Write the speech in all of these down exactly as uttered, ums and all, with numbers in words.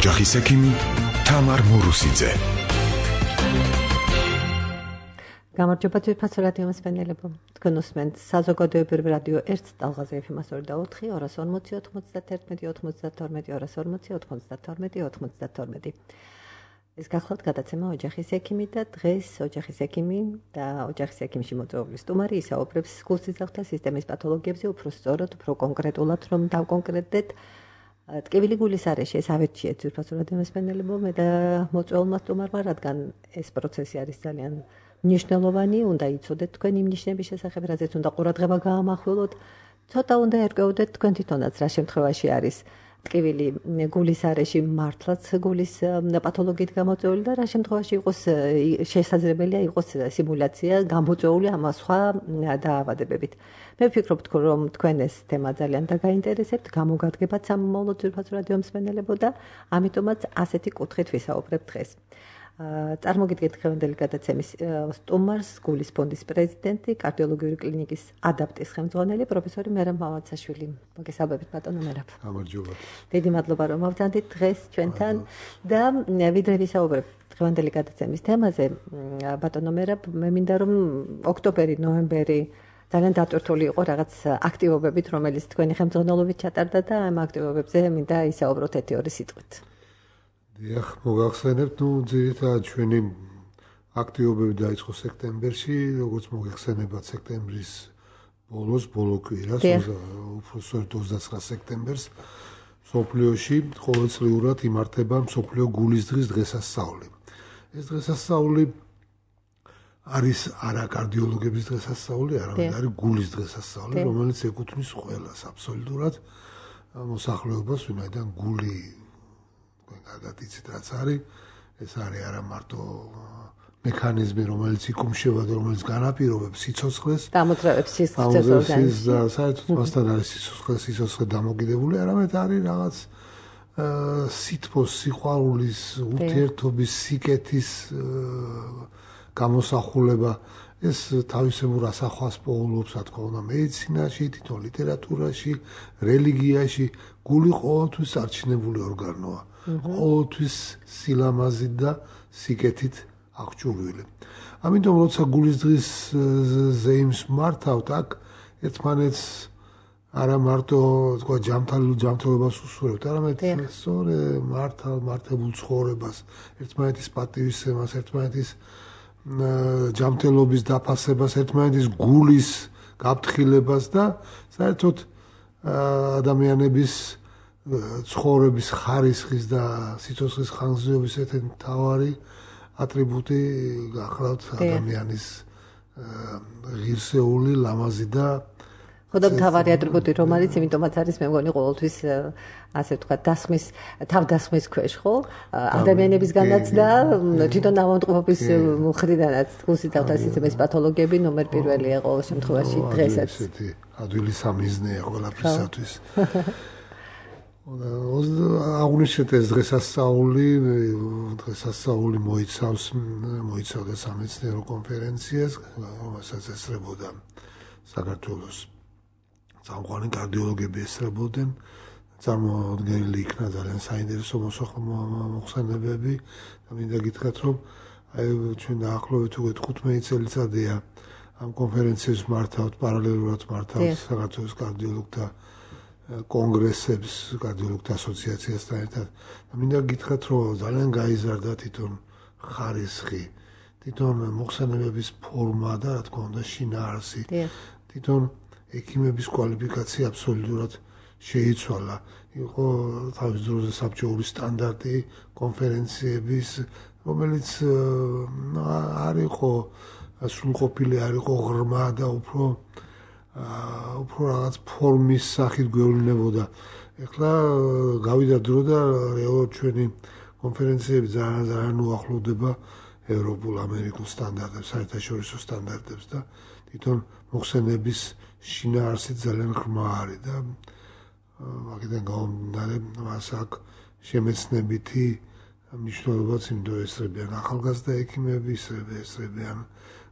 ოჯახის ექიმი თამარ მურუსიძე. გამარჯობა ძვირფასო რადიო მსმენელებო. თქვენ უსმენთ საზოგადოებრივ რადიო ერთ ტალღაზე ეფ ემ ოცდაოთხი ორას ორმოცი ოთხმოცდათერთმეტი ოთხმოცდათორმეტი ორას ორმოცი ოთხმოცდათორმეტი ოთხმოცდათორმეტი. ეს გახლავთ გადაცემა ოჯახის ექიმი და დღეს ოჯახის ექიმი და ოჯახის ექიმში მოწვეული სტუმარი ისაუბრებს გულსიზრახთა სისტემის პათოლოგიებზე, უფრო სწორად, უფრო კონკრეტულად რომ დავკონკრეტდეთ. ტკივილი გულის არეში ეს ავერჩიეთ ძვირფასო რადიო მსმენელებო, მე და მოწვეულმა სტუმარმა, რადგან ეს პროცესი არის ძალიან მნიშვნელოვანი, უნდა იცოდეთ თქვენ იმ ნიშნების შესახებ, რაზეც უნდა ყურადღება გაამახვილოთ. ცოტა უნდა ერკვეოდეთ თქვენ თვითონაც რა შემთხვევაში არის ტკივილი გულის არეში მართლაც გულის პათოლოგიით გამოწვეული და რა შემთხვევაში იყოს შესაძლებელია იყოს სიმულაცია გამოწვეული ამ სხვა დაავადებებით. მე ვფიქრობ, რომ თქვენ ეს თემა ძალიან დაგაინტერესებთ, გამოგადგებათ სამომავლო ძვირფასო რადიო მსმენელებო და ამიტომაც ასეთი კუთხით ვისაუბრებთ დღეს. წარმოგიდგენთ დღევანდელი გადაცემის სტუმარს, გულის ფონდის პრეზიდენტი, კარდიოლოგიური კლინიკის ადაპტის ხელმძღვანელი პროფესორი მერაბ მამაცაშვილი. მოგესალმებით ბატონო მერაბ. გამარჯობა. დიდი მადლობა რომ ავწანდით დღეს ჩვენთან და ვიდრე ვისაუბრებთ დღევანდელი გადაცემის თემაზე, ბატონო მერაბ, მე მინდა რომ ოქტომბერი, ნოემბერი ძალიან დატვირთული იყო რაღაც აქტივობებით, რომელიც თქვენი ხელმძღვანელობით ჩატარდა და ამ აქტივობებზე მინდა ისაუბროთ ერთი ორი სიტყვით. დიახ, მოგახსენებთ, ნუ ძირითადად ჩვენი აქტივობები დაიწყო სექტემბერში, როგორც მოგეხსენებათ სექტემბრის ბოლოს, ბოლო კვირას, უფრო სწორედ ოცდაცხრა სექტემბერს, მსოფლიოში ყოველწლიურად იმართება მსოფლიო გულის დღის დღესასწაული. ეს დღესასწაული არის არა კარდიოლოგების დღესასწაული, არამედ არის გულის დღესასწაული, რომელიც ეკუთვნის ყველას აბსოლუტურად მოსახლეობას, ვინაიდან გული კარგად იცით რაც არის, ეს არის არა მარტო მექანიზმი, რომელიც იკუმშება და რომელიც განაპირობებს სიცოცხლეს და ამოძრავებს სიცოცხლეს ორგანიზმში და საერთოდ მასთან არის სიცოცხლე სიცოცხლე დამოკიდებული, არამედ არის რაღაც სითბოს, სიყვარულის, ურთიერთობის, სიკეთის გამოსახულება. ეს თავისებურ ასახვას პოულობს, რა თქმა უნდა, მედიცინაში, თვითონ ლიტერატურაში, რელიგიაში. გული ყოველთვის არჩინებული ორგანოა. ყოველთვის სილამაზით და სიკეთით აღჭურვილი. ამიტომ როცა გულის დღის ზეიმს მართავთ, აქ ერთმანეთს არა მარტო თქვა ჯანმრთელულ ჯანმრთელობას უსურვებთ, არამედ სწორე მართავ მართებულ ცხოვრებას, ერთმანეთის პატივისცემას, ერთმანეთის ჯანმრთელობის დაფასებას, ერთმანეთის გულის გაფრთხილებას და საერთოდ ადამიანების ცხოვრების ხარისხის და სიცოცხლის ხანგრძლივობის ერთ-ერთი მთავარი ატრიბუტი გახლავთ ადამიანის ღირსეული, ლამაზი და ხოდა მთავარი ატრიბუტი რომ არის, იმიტომაც არის მე მგონი ყოველთვის ასე ვთქვათ, დასხმის თავდასხმის ქვეშ, ხო? ადამიანებისგანაც და თვითონ ავადმყოფობის მხრიდანაც გულსიზრახთა სისტემის პათოლოგიები ნომერ პირველია ყოველ შემთხვევაში დღესაც. ესეთი ადვილი სამიზნეა ყველაფრისათვის. აღნიშნეთ ეს დღესასწაული, დღესასწაული მოიცავს მოიცავდა სამეცნიერო კონფერენციას, რომელსაც ესწრებოდა საქართველოს წამყვანი კარდიოლოგები ესწრებოდნენ. წარმოდგენილი იქნა ძალიან საინტერესო მოხსენებები და მინდა გითხრათ, რომ აი ჩვენ დაახლოებით უკვე თხუთმეტი წელიწადია ამ კონფერენციებს მართავთ, პარალელურად მართავთ საქართველოს კარდიოლოგთა კონგრესებს, კარდიოლოგთა ასოციაციასთან ერთად. და მინდა გითხრათ, რომ ძალიან გაიზარდა თვითონ ხარისხი, თვითონ მოხსენებების ფორმა და რა თქმა უნდა შინაარსი. თვითონ ექიმების კვალიფიკაცია აბსოლუტურად შეიცვალა. იყო თავის დროზე საბჭოური სტანდარტი კონფერენციების, რომელიც არ იყო სრულყოფილი, არ იყო ღრმა და უფრო უფრო რაღაც ფორმის სახით გვევლინებოდა. ეხლა გავიდა დრო და რეალურად ჩვენი კონფერენციები ძალიან ძალიან უახლოვდება ევროპულ, ამერიკულ სტანდარტებს, საერთაშორისო სტანდარტებს და თვითონ მოხსენების შინაარსით ძალიან ღრმა არის და აქედან გამომდინარე მას აქ შემეცნებითი მნიშვნელობაც იმდო ესწრებიან ახალგაზრდა ექიმები, ესწრებიან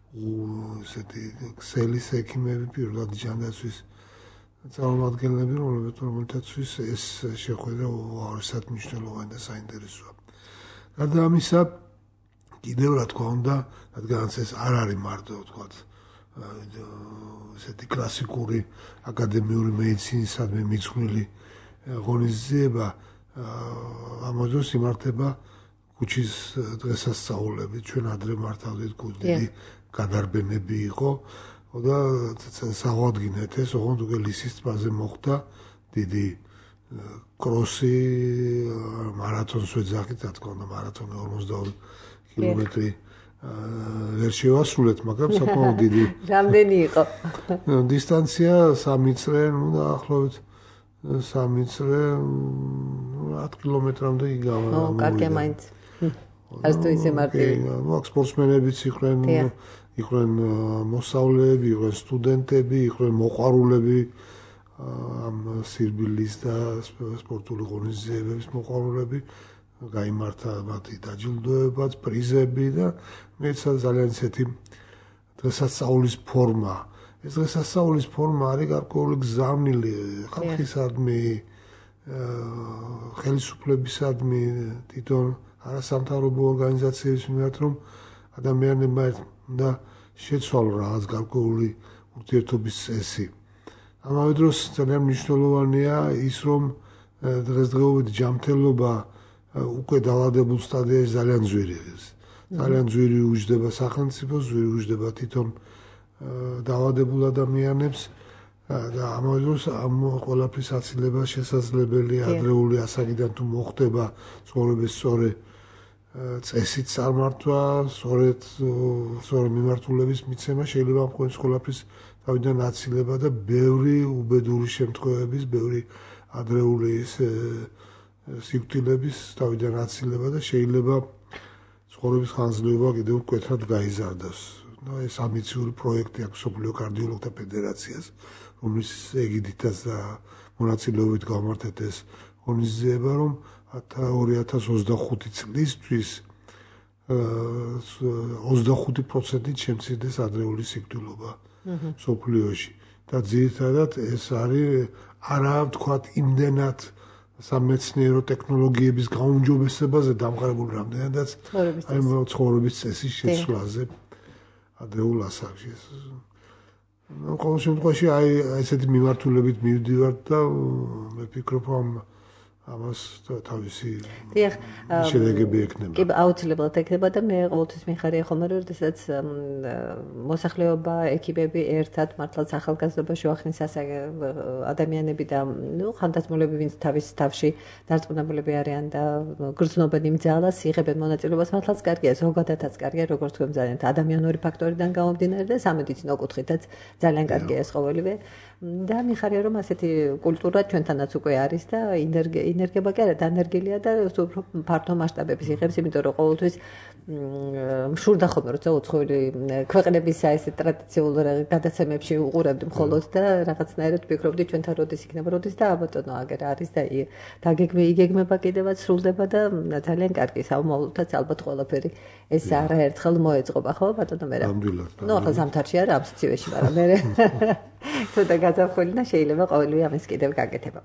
ესეთი ქსელის ექიმები, პირველად ჯანდაცვის წარმომადგენლები, რომელთაც ეს შეხვედრა უაღრესად მნიშვნელოვანი და საინტერესოა. გარდა ამისა, კიდევ რა თქმა უნდა, რადგანაც ეს არ არის მარტო თქვა ესეთი კლასიკური აკადემიური მედიცინისადმი მიძღვნილი ღონისძიება, ამ დროს იმართება ქუჩის დღესასწაულები. ჩვენ ადრე მართავდით ქუჩის გადარბენები იყო და საღვადგინეთ ეს, ოღონდ უკვე ლისის ტბაზე მოხდა დიდი კროსი, მარათონს ვეძახით, რა თქმა უნდა, მარათონი ორმოცდაორი კილომეტრი ვერ შევასრულეთ, მაგრამ საკმაოდ დიდი რამდენი იყო? დისტანცია სამი წრე, ნუ დაახლოებით სამი წრე ათ კილომეტრამდე იგავა. ო, კარგია მაინც. არც თუ ისე მარტივი. ნუ აქ სპორტსმენებიც იყვნენ, იყვნენ მოსწავლეები, იყვნენ სტუდენტები, იყვნენ მოყვარულები ამ სირბილის და სპორტული ღონისძიებების მოყვარულები. გაიმართა მათი დაჯილდოებაც, პრიზები და მეცად ძალიან ისეთი დღესასწაულის ფორმა. ეს დღესასწაულის ფორმა არის გარკვეული გზავნილი ხალხისადმი, ხელისუფლებისადმი, თვითონ არასამთავრობო ორგანიზაციების მიმართ, რომ ადამიანებმა და შეცვალონ რაღაც გარკვეული ურთიერთობის წესი. ამავე დროს ძალიან მნიშვნელოვანია ის, რომ დღესდღეობით ჯანმრთელობა უკვე დაავადებულ სტადიაში ძალიან ძვირი არის. ძალიან ძვირი უჯდება სახელმწიფოს, ძვირი უჯდება თვითონ დაავადებულ ადამიანებს და ამავე დროს ამ ყველაფრის აცილება შესაძლებელია ადრეული ასაკიდან თუ მოხდება ცხოვრების სწორი წესით წარმართვა, სწორედ სწორი მიმართულების მიცემა შეიძლება ამ ყველაფრის თავიდან აცილება და ბევრი უბედური შემთხვევების, ბევრი ადრეული სიკვდილების თავიდან აცილება და შეიძლება ცხოვრების ხანგრძლივობა კიდევ მკვეთრად გაიზარდოს. ეს ამბიციური პროექტი აქვს მსოფლიო კარდიოლოგთა ფედერაციას, რომლის ეგიდითაც და მონაწილეობით გამართეთ ეს ღონისძიება, რომ ორი ათას ოცდახუთი წლისთვის ოცდახუთი პროცენტით შემცირდეს ადრეული სიკვდილობა მსოფლიოში. და ძირითადად ეს არის არა ვთქვათ იმდენად სამეცნიერო ტექნოლოგიების გაუმჯობესებაზე დამყარებული, რამდენადაც აი ცხოვრების წესის შეცვლაზე ადრეულ ასაკში. ნუ ყოველ შემთხვევაში აი ესეთი მიმართულებით მივდივართ და მე ვფიქრობ, რომ ამას თავისი შედეგები ექნება. კი, აუცილებლად ექნება და მე ყოველთვის მიხარია ხოლმე, რომ როდესაც მოსახლეობა, ეკიპები ერთად მართლაც ახალგაზრდობა შევახნის ადამიანები და ნუ ხანდაზმულები, ვინც თავის თავში დარწმუნებულები არიან და გრძნობენ იმ ძალას, იღებენ მონაწილეობას, მართლაც კარგია, ზოგადადაც კარგია, როგორც თქვენ ძალიან ადამიანური ფაქტორიდან გამომდინარე და სამედიცინო კუთხითაც ძალიან კარგია ეს ყოველივე. და მიხარია, რომ ასეთი კულტურა ჩვენთანაც უკვე არის და ინერგება კი არა, დანერგილია და უფრო ფართო მასშტაბების იღებს, იმიტომ რომ ყოველთვის მშურდა ხოლმე, როცა უცხოელი ქვეყნების ეს ტრადიციულ გადაცემებში უყურებდი მხოლოდ და რაღაცნაირად ვფიქრობდი ჩვენთან როდის იქნება, როდის და აბატონო აგერ არის და დაგეგმე იგეგმება კიდევაც სრულდება და ძალიან კარგი სამომავლოდაც ალბათ ყველაფერი ეს არაერთხელ მოეწყობა, ხო ბატონო მერე? ნამდვილად. ნუ ახლა ზამთარში არა ამ სიცივეში, მაგრამ მერე ცოტა გაზაფხული და შეიძლება ყოველივე ამას კიდევ გაკეთება.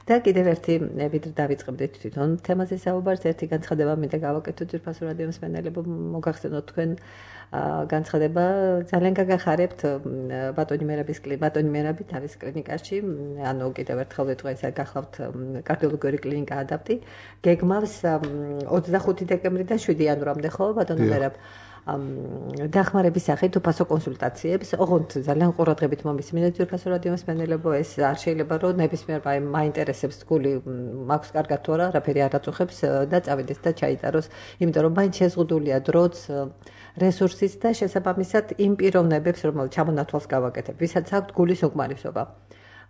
და კიდევ ერთი ვიდრე დავიწყებდით თვითონ თემაზე საუბარს, ერთი განცხადება მინდა გავაკეთოთ ძვირფასო რადიო მსმენელებო, მოგახსენოთ თქვენ განცხადება ძალიან გაგახარებთ ბატონი მერაბის ბატონი მერაბი თავის კლინიკაში, ანუ კიდევ ერთხელ ვიტყვი, ეს გახლავთ კარდიოლოგიური კლინიკა ადაპტი, გეგმავს ოცდახუთი დეკემბრიდან შვიდი იანვრამდე, ხო ბატონო მერაბ? დახმარების სახით უფასო კონსულტაციებს, ოღონდ ძალიან ყურადღებით მომისმინეთ ძვირფასო რადიო მსმენელებო, ეს არ შეიძლება რომ ნებისმიერ მაინტერესებს გული მაქვს კარგად თუ არა, არაფერი არ აწუხებს და წავიდეს და ჩაიტაროს, იმიტომ რომ მაინც შეზღუდულია დროც, რესურსიც და შესაბამისად იმ პიროვნებებს, რომელიც ჩამონათვალს გავაკეთებ, ვისაც აქვთ გულის უკმარისობა.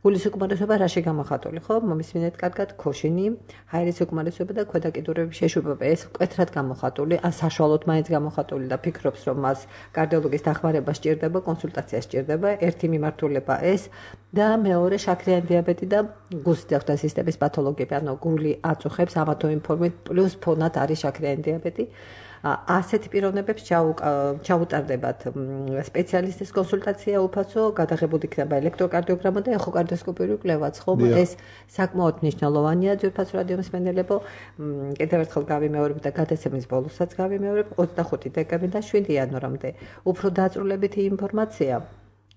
გულის უკმარისობა რაში გამოხატული, ხო? მომისმინეთ კარგად, ქოშინი, ჰაერის უკმარისობა და ქვედაკიდურების შეშვებება. ეს მკვეთრად გამოხატული, საშუალოდ მაინც გამოხატული და ფიქრობს, რომ მას კარდიოლოგის დახმარება სჭირდება, კონსულტაცია სჭირდება, ერთი მიმართულება ეს და მეორე შაქრიანი დიაბეტი და გულსიძახთა სისტემის პათოლოგიები, ანუ გული აწუხებს ამათო იმ ფორმით, პლუს ფონად არის შაქრიანი დიაბეტი. ასეთი პიროვნებებს ჩაუტარდებათ სპეციალისტის კონსულტაცია უფასო, გადაღებული იქნება ელექტროკარდიოგრამა და ეხოკარდიოსკოპიური კვლევაც, ხომ? ეს საკმაოდ მნიშვნელოვანია ძვირფას რადიომსმენელებო. კიდევ ერთხელ გავიმეორებ და გადაცემის ბოლოსაც გავიმეორებ, ოცდახუთი დეკემბრიდან და შვიდი იანვრამდე. უფრო დაწვრილებითი ინფორმაცია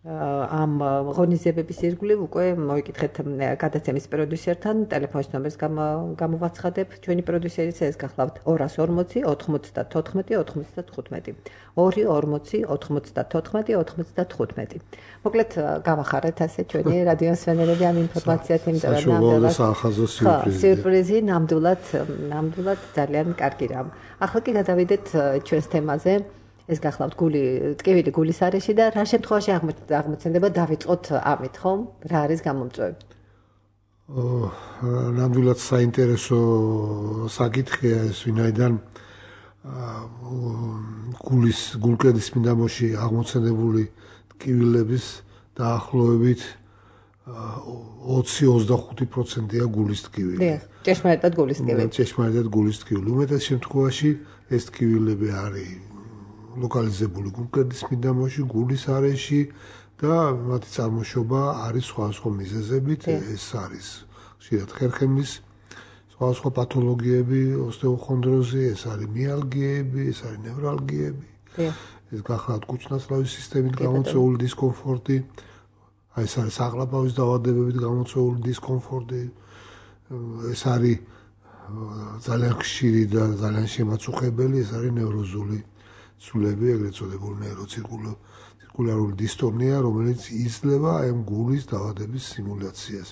ამ ღონისძიებების ირგვლივ უკვე მოიკითხეთ გადაცემის პროდიუსერთან, ტელეფონის ნომერს გამოვაცხადებ. ჩვენი პროდიუსერიც ეს გახლავთ ორას ორმოცი ოთხმოცდათოთხმეტი ოცდათხუთმეტი. ორი ორმოცი ოთხმოცდათოთხმეტი ოცდათხუთმეტი. მოკლედ გავახარეთ ასე ჩვენი რადიომსმენელები ამ ინფორმაციას, იმიტომ რომ ნამდვილად საახაზო სიურპრიზი. სიურპრიზი ნამდვილად ნამდვილად ძალიან კარგი რამ. ახლა კი გადავიდეთ ჩვენს თემაზე. ეს გახლავთ გული, ტკივილი გულის არეში და რა შემთხვევაში აღმოცენდება დავიწყოთ ამით, ხომ? რა არის გამომწვევი? ნამდვილად საინტერესო საკითხია ეს, ვინაიდან გულის გულკედის მიდამოში აღმოცენებული ტკივილების დაახლოებით ოცი ოცდახუთი პროცენტია გულის ტკივილი. ჭეშმარიტად გულის ტკივილი. ჭეშმარიტად გულის ტკივილი. უმეტეს შემთხვევაში ეს ტკივილები არის ლოკალიზებული გულკედის მიდამოში, გულის არეში და მათი წარმოშობა არის სხვადასხვა მიზეზებით. ეს არის ხშირად ხერხემლის სხვადასხვა პათოლოგიები, ოსტეოხონდროზი, ეს არის მიალგიები, ეს არის ნევრალგიები. ეს გახლავთ კუჭნაცლავის სისტემით გამოწვეული დისკომფორტი, აი ეს არის საყლაპავის დაავადებებით გამოწვეული დისკომფორტი. ეს არის ძალიან ხშირი და ძალიან შემაწუხებელი, ეს არის ნევროზული ცვლილები, ეგრეთ წოდებული ნეიროცირკულარული დისტონია, რომელიც იძლევა ამ გულის დაავადების სიმულაციას.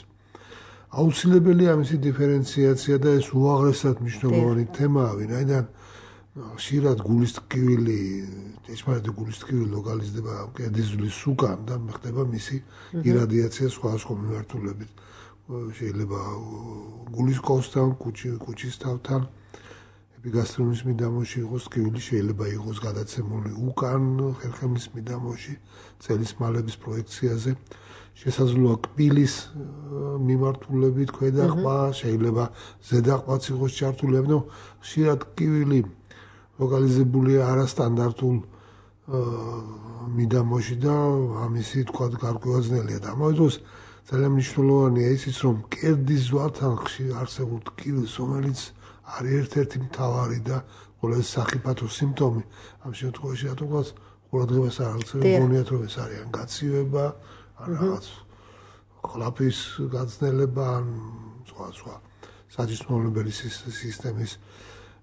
აუცილებელია ამისი დიფერენციაცია და ეს უაღრესად მნიშვნელოვანი თემაა, ვინაიდან ხშირად გულის ტკივილი, ჭეშმარიტი გულის ტკივილი ლოკალიზდება კედიზულის უკან და ხდება მისი irradiatsiya სხვადასხვა მიმართულებით. შეიძლება გულის კოსთან, კუჭის თავთან, ეპიგასტრონის მიდამოში იყოს ტკივილი, შეიძლება იყოს გადაცემული უკან ხერხემლის მიდამოში, წელის მალების პროექციაზე. შესაძლოა კბილის მიმართულებით ქვედა ყბა, შეიძლება ზედა ყბაც იყოს ჩართული, ანუ ხშირად ტკივილი ლოკალიზებულია არასტანდარტულ მიდამოში და ამისი თქვა გარკვევა ძნელია და ამავე დროს ძალიან მნიშვნელოვანია ისიც, რომ კერდის ზვართან ხშირ არსებულ ტკივილს, რომელიც არის ერთ-ერთი მთავარი და ყველაზე სახიფათო სიმპტომი, ამ შემთხვევაში რატომღაც ყურადღებას არ აქცევენ, გონიათ რომ ეს არის ან გაცივება, ან რაღაც ყლაფის გაძნელება, ან სხვა სხვა საჯისმოვნებელი სისტემის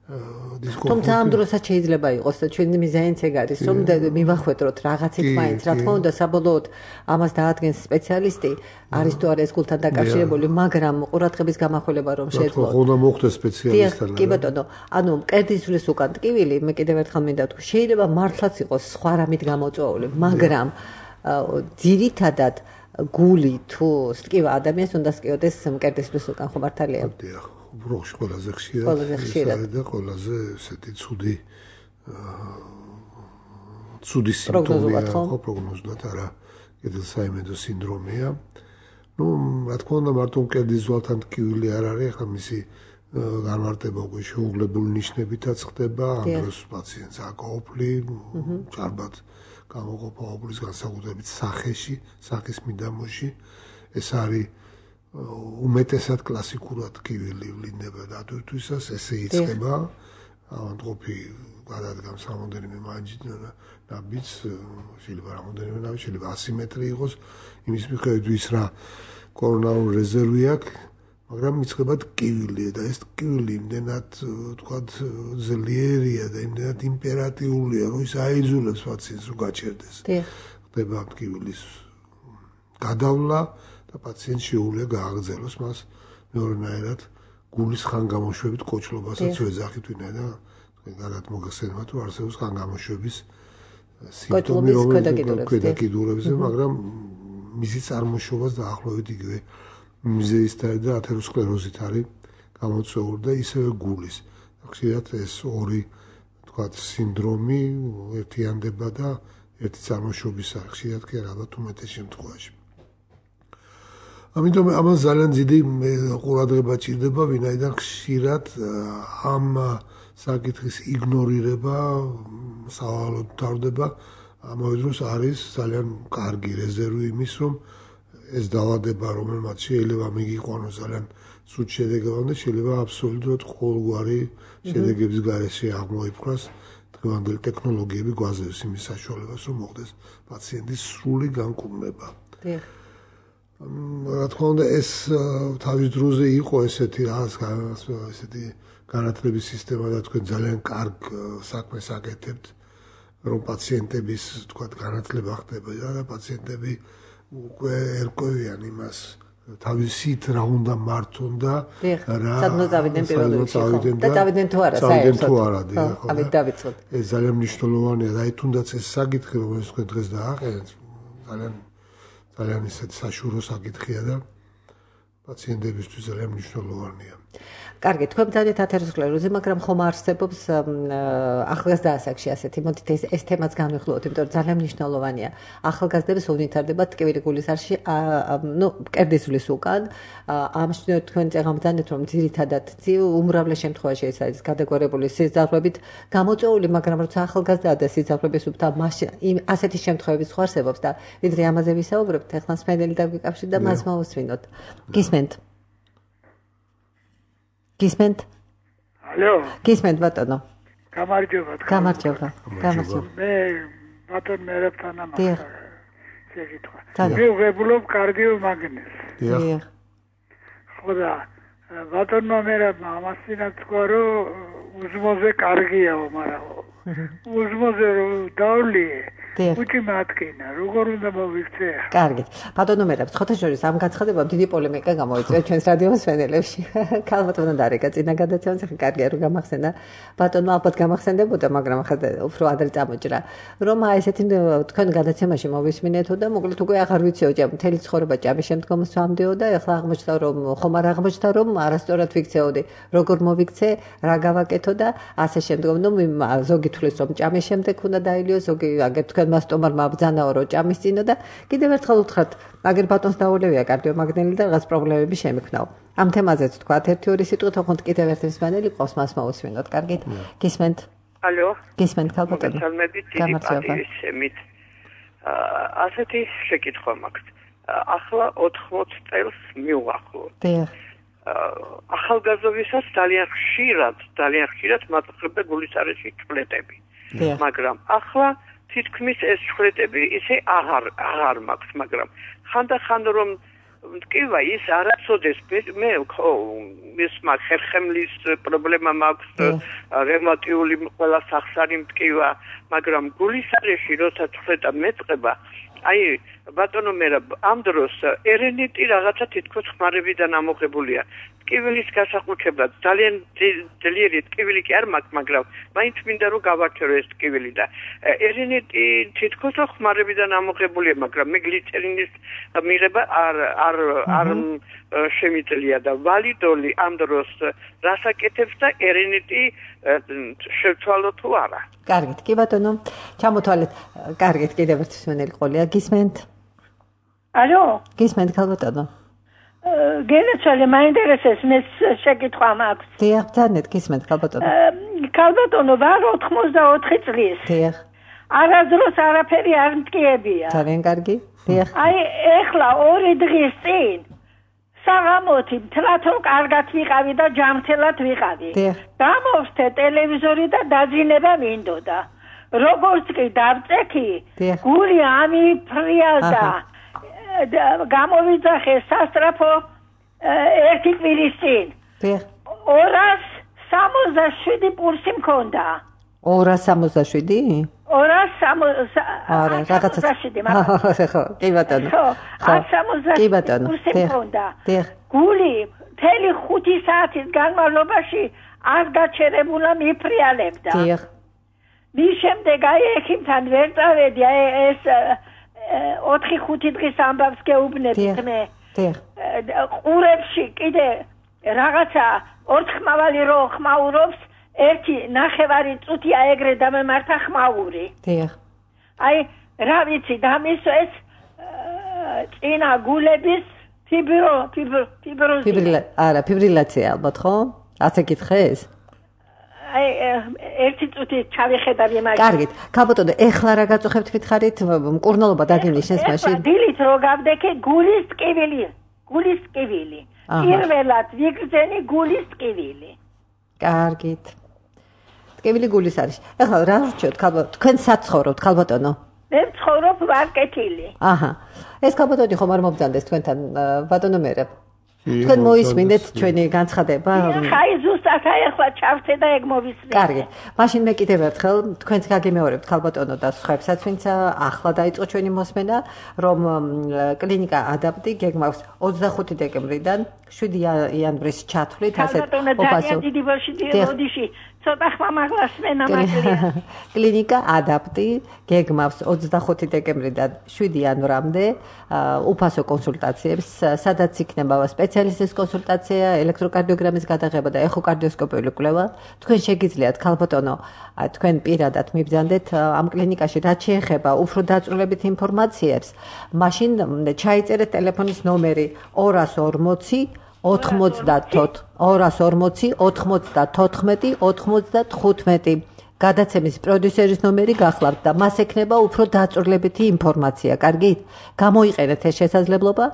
დისკომფორტი. თუმცა ამ დროსაც შეიძლება იყოს და ჩვენი მიზანიც ეგ არის, რომ მივახვედროთ რაღაცით მაინც, რა თქმა უნდა, საბოლოოდ ამას დაადგენს სპეციალისტი, არის თუ არა ეს გულთან დაკავშირებული, მაგრამ ყურადღების გამახვილება რომ შეძლო. რა უნდა მოხდეს სპეციალისტთან? კი ბატონო, ანუ კერდისვლის უკან ტკივილი, მე კიდევ ერთხელ მინდა ვთქვი, შეიძლება მართლაც იყოს სხვა რამით გამოწვეული, მაგრამ ძირითადად გული თუ სტკივა ადამიანს უნდა სტკიოდეს კერდისვლის უკან, ხო მართალია? დიახ. უბრალოდ ყველაზე ხშირად და ყველაზე ესეთი ცუდი ცუდი სიმპტომია, ხო პროგნოზულად არა, კედელსაიმედო სინდრომია. ნუ რა თქმა უნდა მარტო კერდის ზვალთან ტკივილი არ არის, ახლა მისი განმარტება უკვე შეუღლებულ ნიშნებითაც ხდება, ამ დროს პაციენტს აკაოფლი, ჭარბად გამოყოფა ოფლის განსაკუთრებით სახეში, სახის მიდამოში, ეს არის უმეტესად კლასიკურად ტკივილი ვლინდება დატვირთვისას, ესე იწყება, ავადმყოფი გადადგამს რამოდენიმე ნაბიჯს, შეიძლება რამოდენიმე ნაბიჯს, შეიძლება ასი მეტრი იყოს, იმის მიხედვით ვის რა კორონარული რეზერვი აქვს, მაგრამ იწყება ტკივილი და ეს ტკივილი იმდენად თქვათ ძლიერია და იმდენად იმპერატიულია, რომ ის აიძულებს პაციენტს რომ გაჩერდეს. ხდება ტკივილის გადავლა და პაციენტს შეუძლია გააგრძელოს მას მეორნაირად გულის ხანგამოშვებით კოჭლობასაც ვეძახით, ვინაიდან გარად მოგეხსენებათ, რომ არსებობს ხანგამოშვების სიმპტომი, რომელიც ქვედაკიდურებზე, მაგრამ მისი წარმოშობას დაახლოებით იგივე მიზეზით და ათეროსკლეროზით არის გამოწვეული და ისევე გულის. ხშირად ეს ორი თქვათ სინდრომი ერთიანდება და ერთი წარმოშობის არის, ხშირად კი ალბათ უმეტეს შემთხვევაში. ამიტომ ამას ძალიან დიდი ყურადღება ჭირდება, ვინაიდან ხშირად ამ საკითხის იგნორირება სავალოდ თავდება, ამავე დროს არის ძალიან კარგი რეზერვი იმის, რომ ეს დაავადება, რომელმაც შეიძლება მიგიყვანოს ძალიან სულ შედეგებამდე, შეიძლება აბსოლუტურად ყოველგვარი შედეგების გარეშე აღმოიფხვრას დღევანდელი ტექნოლოგიები გვაძლევს იმის საშუალებას, რომ მოხდეს პაციენტის სრული განკურნება. რა თქმა უნდა, ეს თავის დროზე იყო ესეთი რაღაც ესეთი განათლების სისტემა და თქვენ ძალიან კარგ საქმეს აკეთებთ, რომ პაციენტების თქვა განათლება ხდება და პაციენტები უკვე ერკვევიან იმას თავისით რა უნდა მართონ და რა სადმო წავიდნენ პირველ რიგში და წავიდნენ თუ არა საერთოდ ხო ამით დავიწყოთ ეს ძალიან მნიშვნელოვანია და აი თუნდაც ეს საკითხი რომელიც თქვენ დღეს დააყენეთ ძალიან ძალიან ისეთი საშუალო საკითხია და პაციენტებისთვის ძალიან მნიშვნელოვანია. კარგი, თქვენ ძალიან ათეროსკლეროზი, მაგრამ ხომ არსებობს ახალგაზრდა ასაკში ასეთი, მოდით ეს ეს თემაც განვიხილოთ, იმიტომ რომ ძალიან მნიშვნელოვანია. ახალგაზრდებს უნითარდებათ ტკივილი გულის არში, ნუ მკერდისვლის უკან, ამ შემთხვევაში თქვენ წეღამბძანეთ, რომ ძირითადად უმრავლეს შემთხვევაში ეს არის გადაგვარებული სიძახლებით გამოწვეული, მაგრამ როცა ახალგაზრდაა და სიძახლების უფთა მაშინ ასეთი შემთხვევები სხვა არსებობს და ვიდრე ამაზე ვისაუბრებთ, ეხლა სპენელი დაგვიკავშირდა და მას მოვუსვინოთ. გისმენთ? გისმენთ? ალო. გისმენთ ბატონო. გამარჯობა. გამარჯობა. გამარჯობა. მე ბატონ მერებთან ამას შეგიტყვა. მე ვღებულობ კარდიომაგნეზს. დიახ. ხოდა ბატონმა მერებმა ამას წინათ თქვა, რომ უზმოზე კარგიაო, მაგრამ უზმოზე დავლიე. უჩი მათკინა, როგორ უნდა მოვიქცე? კარგი. ბატონო მერაბ, ხოთა შორის ამ გაცხადებამ დიდი პოლემიკა გამოიწვია ჩვენს რადიო მსმენელებში. ქალბატონო დარეკა წინა გადაცემას ახლა კარგია რომ გამახსენდა. ბატონო ალბათ გამახსენდებოდა, მაგრამ ახლა უფრო ადრე წამოჭრა. რომ აი ესეთი თქვენ გადაცემაში მოვისმინეთო და მოკლედ უკვე აღარ ვიციო ჯამ მთელი ცხოვრება ჯამის შემდგომ სვამდეო და ახლა აღმოჩნდა რომ ხომ არ აღმოჩნდა რომ არასწორად ვიქცეოდი. როგორ მოვიქცე, რა გავაკეთო და ასე შემდგომ ნუ ზოგი თulis რომ ჭამის შემდეგ უნდა დაილიო, ზოგი აგერ თქვენ მას სტომარმა ბძანაო რომ ჭამის წინა და კიდევ ერთხელ უთხრათ, აგერ ბატონს დაულევია კარდიომაგნელი და რაღაც პრობლემები შემექნაო. ამ თემაზეც თქვათ ერთი ორი სიტყვით, ოღონდ კიდევ ერთი მსმენელი ყავს, მას მოვუსვინოთ. კარგით? გისმენთ? ალო. გისმენთ ქალბატონო? გამარჯობა. ასეთი შეკითხვა მაქვს. ახლა ოთხმოცი წელს მივახლოთ. დიახ. ახალგაზრდობისას ძალიან ხშირად, ძალიან ხშირად მაწყობდა გულისარეში ჩხლეტები. მაგრამ ახლა თითქმის ეს ჩხლეტები ისე აღარ აღარ მაქვს, მაგრამ ხანდახან რომ მტკივა ის არაცოდეს მე ის მაგ ხერხემლის პრობლემა მაქვს, რევმატიული ყველა სახსარი მტკივა, მაგრამ გულისარეში როცა ჩხლეტა მეწყება აი ბატონო მერა ამ დროს ერენიტი რაღაცა თითქოს ხმარებიდან ამოღებულია. ტკივილის გასახუჩებლად ძალიან ძლიერი ტკივილი კი არ მაქვს, მაგრამ მაინც მინდა რომ გავარჩევო ეს ტკივილი და ერენიტი თითქოს ხმარებიდან ამოღებულია, მაგრამ მე გლიցერინის მიღება არ არ არ შემიძლია და ვალიდოლი ამ დროს რასაკეთებს და ერენიტი შევცვალო თუ არა. კარგით, კი ბატონო, ჩამოთვალეთ. კარგით, კიდევ ერთი მსმენელი ყოლია. გისმენთ? ალო? გისმენთ ქალბატონო? გენაცვალე მაინტერესებს მე შეკითხვა მაქვს. დიახ, ბძანეთ, გისმენთ ქალბატონო. ქალბატონო, ვარ ოთხმოცდაოთხი წლის. დიახ. არასდროს არაფერი არ მტკიებია. ძალიან კარგი. დიახ. აი, ეხლა ორი დღის წინ საღამოთი მთლათო კარგად ვიყავი და ჯამთელად ვიყავი. გამოვსთე ტელევიზორი და დაძინება მინდოდა. როგორც კი დავწექი, გული ამიფრია და გამოვიძახე სასტრაფო ერთი კვირის წინ. ორას სამოცდაშვიდი პულსი მქონდა. ორას სამოცდაშვიდი? ორას სამოცდაშვიდი. ხო, კი ბატონო. ხო, სამოცდაშვიდი პულსი მქონდა. გული მთელი ხუთი საათის განმავლობაში არ გაჩერებულა მიფრიალებდა. დიახ. მის შემდეგ აი ექიმთან ვერ წავედი, აი ეს ოთხი ხუთი დღის ამბავს გეუბნებით მე. დიახ. ყურებში კიდე რაღაცა ორთხმავალი რო ხმაურობს, ერთი ნახევარი წუთია ეგრე დამემართა ხმაური. დიახ. აი რა ვიცი, დამისვეს წინა გულების ფიბრო ფიბრო ფიბროზი. არა, ფიბრილაცია ალბათ ხო? ასე გითხეს? აი ერთი წუთი ჩავიხედავ იმას. კარგით. ქალბატონო, ეხლა რა გაწუხებთ მითხარით? მკურნალობა დაგივლის შენს მაშინ. დილით რო გავდექე გულის ტკივილი. გულის ტკივილი. პირველად ვიგრძენი გულის ტკივილი. კარგით. ტკივილი გულის არის. ეხლა რა რჩევთ ქალბატონო? თქვენ საცხოვრობთ ქალბატონო? მე ვცხოვრობ ვარკეთილი. აჰა. ეს ქალბატონი ხომ არ მობძანდეს თქვენთან ბატონო მერე? თქვენ მოისმინეთ ჩვენი განცხადება? ხაი ზუსტად აი ახლა ჩავწე და ეგ მოვისმინე. კარგი. მაშინ მე კიდევ ერთხელ თქვენს გაგიმეორებთ ქალბატონო და სხვაებსაც, ვინც ახლა დაიწყო ჩვენი მოსმენა, რომ კლინიკა ადაპტი გეგმავს ოცდახუთი დეკემბრიდან შვიდი იანვრის ჩათვლით, ასეთ ოპასო. დიდი ბოშიში ცოტა ხმამაღლას მენა მაკლია. კლინიკა ადაპტი გეგმავს ოცდახუთი დეკემბრიდან შვიდი იანვრამდე უფასო კონსულტაციებს, სადაც იქნება სპეციალისტის კონსულტაცია, ელექტროკარდიოგრამის გადაღება და ეხოკარდიოსკოპიული კვლევა. თქვენ შეგიძლიათ ქალბატონო, თქვენ პირადად მიბრძანდეთ ამ კლინიკაში, რაც შეეხება უფრო დაწვრილებით ინფორმაციებს, მაშინ ჩაიწერეთ ტელეფონის ნომერი ორას ორმოცი ოთხმოცდათოთხ ორას ორმოცი ოთხმოცდათოთხმეტი ოთხმოცდათხუთმეტი. გადაცემის პროდიუსერის ნომერი გახლავთ და მას ექნება უფრო დაწვრილებითი ინფორმაცია. კარგით? გამოიყენეთ ეს შესაძლებლობა.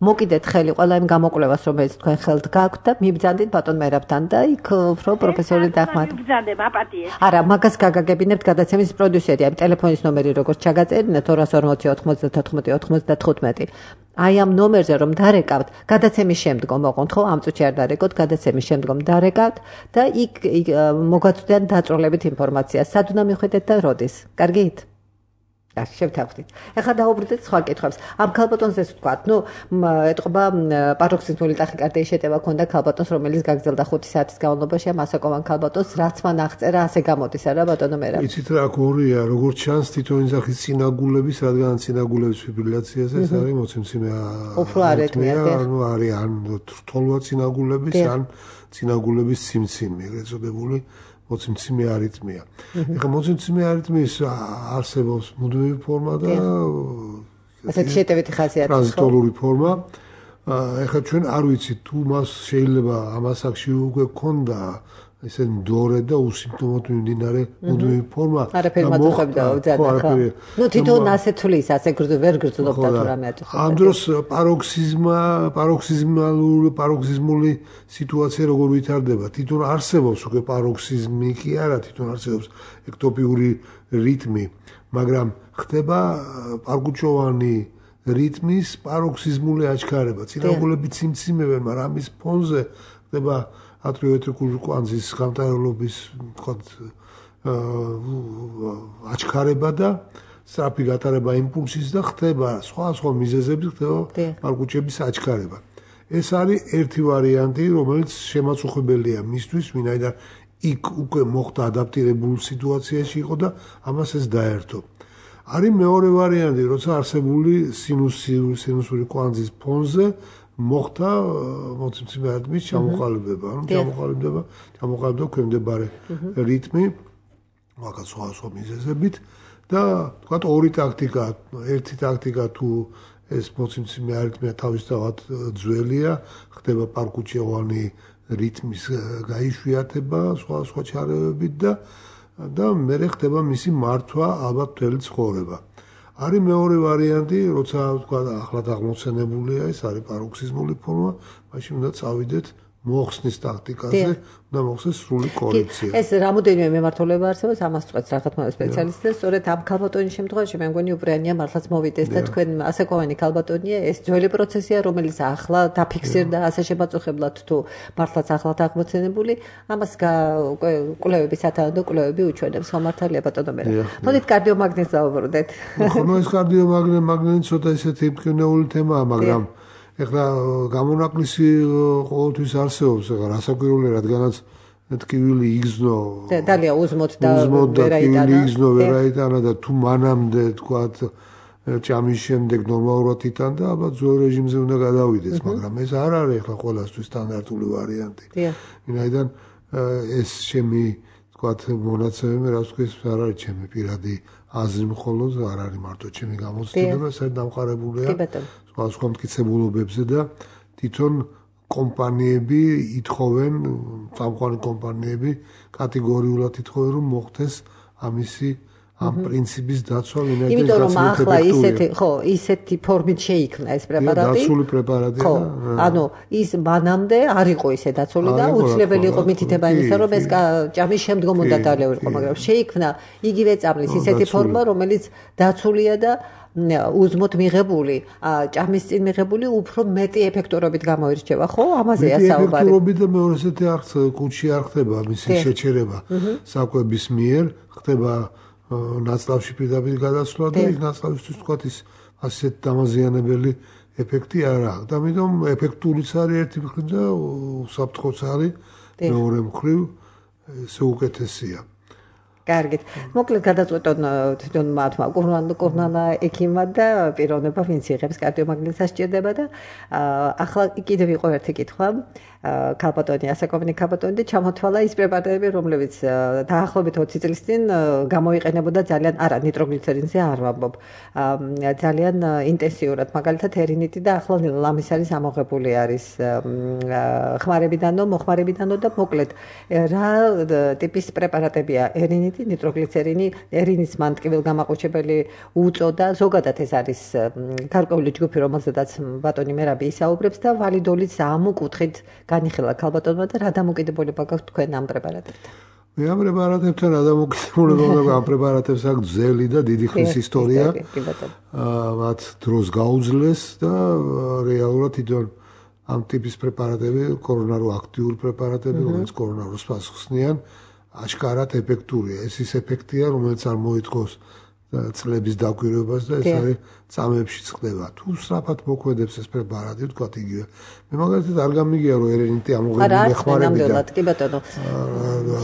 მოკიდეთ ხელი ყველა იმ გამოკვლევას, რომელიც თქვენ ხელთ გაქვთ და მიბრძანდით ბატონ მერაბთან და იქ უფრო პროფესიული დახმარება. მიბრძანდებ აპატიეს. არა, მაგას გაგაგებინებთ გადაცემის პროდიუსერი, აი ტელეფონის ნომერი როგორც ჩაგაწერინეთ ორას ორმოცი ოთხმოცდათოთხმეტი ოთხმოცდათხუთმეტი. აი ამ ნომერზე რომ დარეკავთ, გადაცემის შემდგომ ოღონდ ხო ამ წუთში არ დარეკოთ, გადაცემის შემდგომ დარეკავთ და იქ მოგაწვდიან დაწვრილებით ინფორმაცია. სად უნდა მიხვიდეთ და როდის? კარგით? კარგი, შევთანხმდით. ეხლა დაუბრუნდეთ სხვა კითხვებს. ამ ქალბატონს ეს ვთქვათ, ნუ ეთყობა პაროქსიზმული ტახიკარდიის შეტევა ქონდა ქალბატონს, რომელიც გაგრძელდა ხუთი საათის განმავლობაში, ამ ასაკოვან ქალბატონს, რაც მან აღწერა, ასე გამოდის, არა ბატონო მერაბ? იცით რა გორია, როგორც ჩანს თითოეული სახის წინაგულების, რადგან წინაგულების ფიბრილაციაზე ეს არის მოცემციმე უფრო არეთმია, ანუ არის ან რთულვა წინაგულების, ან წინაგულების სიმციმე, ეწოდებული მოცემციმე არითმია. ეხლა მოცემციმე არითმიის არსებობს მუდმივი ფორმა და ასეთი შეტევითი ხასიათი ხო? ტრანზიტორული ფორმა. ეხლა ჩვენ არ ვიცით თუ მას შეიძლება ამ ასაკში უკვე ქონდა ესე მდორე და უსიმპტომოდ მიმდინარე მუდმივი ფორმა. არაფერი მაწუხებდა უძადა ხო? ნუ თვითონ ასეთ თulis, ასე გრძო ვერ გრძნობდა თუ რამე აწუხებდა. ამ დროს პაროქსიზმა, პაროქსიზმალური, პაროქსიზმული სიტუაცია როგორ ვითარდება? თვითონ არსებობს უკვე პაროქსიზმი კი არა, თვითონ არსებობს ექტოპიური რიტმი, მაგრამ ხდება პარკუჩოვანი რიტმის პაროქსიზმული აჩქარება. წინაგულები ციმციმებენ, მაგრამ ამის ფონზე ხდება ატრიოვენტრიკული კვანძის გამტარებლობის ვთქვათ აჩქარება და სწრაფი გატარება იმპულსის და ხდება სხვა სხვა მიზეზებით ხდება პარკუჩების აჩქარება. ეს არის ერთი ვარიანტი, რომელიც შემაწუხებელია მისთვის, ვინაიდან იქ უკვე მოხდა ადაპტირებულ სიტუაციაში იყო და ამას ეს დაერთო. არის მეორე ვარიანტი, როცა არსებული სინუსური სინუსური კვანძის ფონზე მოხდა მოცემციმე არითმის ჩამოყალიბება, ანუ ჩამოყალიბდება, ჩამოყალიბდა ქვემდებარე რიტმი, მაგას სხვა სხვა მიზეზებით და თქვათ ორი ტაქტიკა, ერთი ტაქტიკა თუ ეს მოცემციმე არითმია თავისთავად ძველია, ხდება პარკუჩოვანი რიტმის გაიშვიათება, სხვა სხვა ჩარევებით და და მერე ხდება მისი მართვა ალბათ მთელი ცხოვრება. არის მეორე ვარიანტი, როცა თქვა ახლად აღმოცენებულია, ეს არის პაროქსიზმული ფორმა, მაშინ უნდა წავიდეთ მოხსნის ტაქტიკაზე, უნდა მოხსნეს სრული კორექცია. ეს რამოდენიმე მიმართულება არსებობს, ამას წყვეტს რაღაცა სპეციალისტი და სწორედ ამ ქალბატონის შემთხვევაში მე მგონი უპრეანია მართლაც მოვიდეს და თქვენ ასაკოვანი ქალბატონია, ეს ძველი პროცესია, რომელიც ახლა დაფიქსირდა ასე შემაწუხებლად თუ მართლაც ახლად აღმოცენებული, ამას კვლევები სათანადო კვლევები უჩვენებს, ხო მართალია ბატონო მერაბ. მოდით კარდიომაგნიტს დავუბრუნდეთ. ხო, ეს კარდიომაგნიტი მაგნიტი ცოტა ისეთი მკვნეული თემაა, მაგრამ ეხლა გამონაკლისი ყოველთვის არსებობს, ეხლა რასაკვირველია, რადგანაც ტკივილი იგზნო დალია узმოთ და ვერაიტანა იგზნო ვერაიტანა და თუ მანამდე თქვათ ჭამის შემდეგ ნორმალურად იტანდა, ალბათ ძველ რეჟიმზე უნდა გადავიდეს, მაგრამ ეს არ არის ეხლა ყველასთვის სტანდარტული ვარიანტი. ვინაიდან ეს ჩემი თქვათ მონაცემები, რაც თქვის, არ არის ჩემი პირადი აზრი მხოლოდ, არ არის მარტო ჩემი გამოცდილება, საერთოდ დამყარებულია სხვა სხვა მტკიცებულობებზე და თვითონ კომპანიები ითხოვენ, სამხმარი კომპანიები კატეგორიულად ითხოვენ, რომ მოხდეს ამისი ამ პრინციპის დაცვა, ვინაიდან იმიტომ რომ ახლა ისეთი, ხო, ისეთი ფორმით შეიქმნა ეს პრეპარატი. დაცული პრეპარატია. ხო, ანუ ის მანამდე არ იყო ისე დაცული და უცვლელი იყო მითითება იმისა, რომ ეს ჭამის შემდგომ უნდა დალეულიყო, მაგრამ შეიქმნა იგივე წამლის ისეთი ფორმა, რომელიც დაცულია და უზმოთ მიღებული, ჭამის წინ მიღებული უფრო მეტი ეფექტურობით გამოირჩევა, ხო? ამაზეა საუბარი. ეფექტურობით და მეორე ესეთი არ კუჩი არ ხდება მისი შეჩერება საკვების მიერ, ხდება ნაცლავში პირდაპირ გადასვლა და იქ ნაცლავისთვის თქვა ის ასეთ დამაზიანებელი ეფექტი არ აქვს. და ამიტომ ეფექტურიც არის ერთი მხრივ და უსაფრთხოც არის მეორე მხრივ ესე უკეთესია. კარგით. მოკლედ გადაწყვეტონ თვითონ მათმა კურნალა ექიმმა და პიროვნება ვინც იღებს კარდიომაგნიტს სჭირდება და ახლა კიდევ იყო ერთი კითხვა. ქალბატონი, ასაკობინი ქალბატონი და ჩამოთვალა ის პრეპარატები, რომლებიც დაახლოებით ოცი წლის წინ გამოიყენებოდა ძალიან არა ნიტროგლიცერინზე არ ვამბობ. ძალიან ინტენსიურად, მაგალითად ერინიტი და ახლა ლამის არის ამოღებული არის ხმარებიდანო, მოხმარებიდანო და მოკლედ რა ტიპის პრეპარატებია ერინიტი, ნიტროგლიცერინი,ერინის მანტკივილგამაყუჩებელი უწოდა, ზოგადად ეს არის გარკვეული ჯგუფი, რომელზედაც ბატონი მერაბი ისაუბრებს და ვალიდოლიც ამ კუთხით განიხილა ქალბატონმა და რა დამოკიდებულება გაქვთ თქვენ ამ პრეპარატებთან? მე ამ პრეპარატებთან რა დამოკიდებულება მაქვს? ამ პრეპარატებს აქვს ძელი და დიდი ხნის ისტორია. მათ დროს გაუძლეს და რეალურად თვითონ ამ ტიპის პრეპარატები, კორონარო აქტიური პრეპარატები, რომელიც კორონაროს პასუხსნიან, აშკარად ეფექტურია. ეს ის ეფექტია, რომელიც არ მოითხოვს წლების დაკვირვებას და ეს არის წამებშიც ხდება. თუ სწრაფად მოქმედებს ეს პრეპარატი, თქვათ იგივე. მე მაგალითად არ გამიგია რომ ერენიტი ამოღებული ხმარებიდან. კი ბატონო.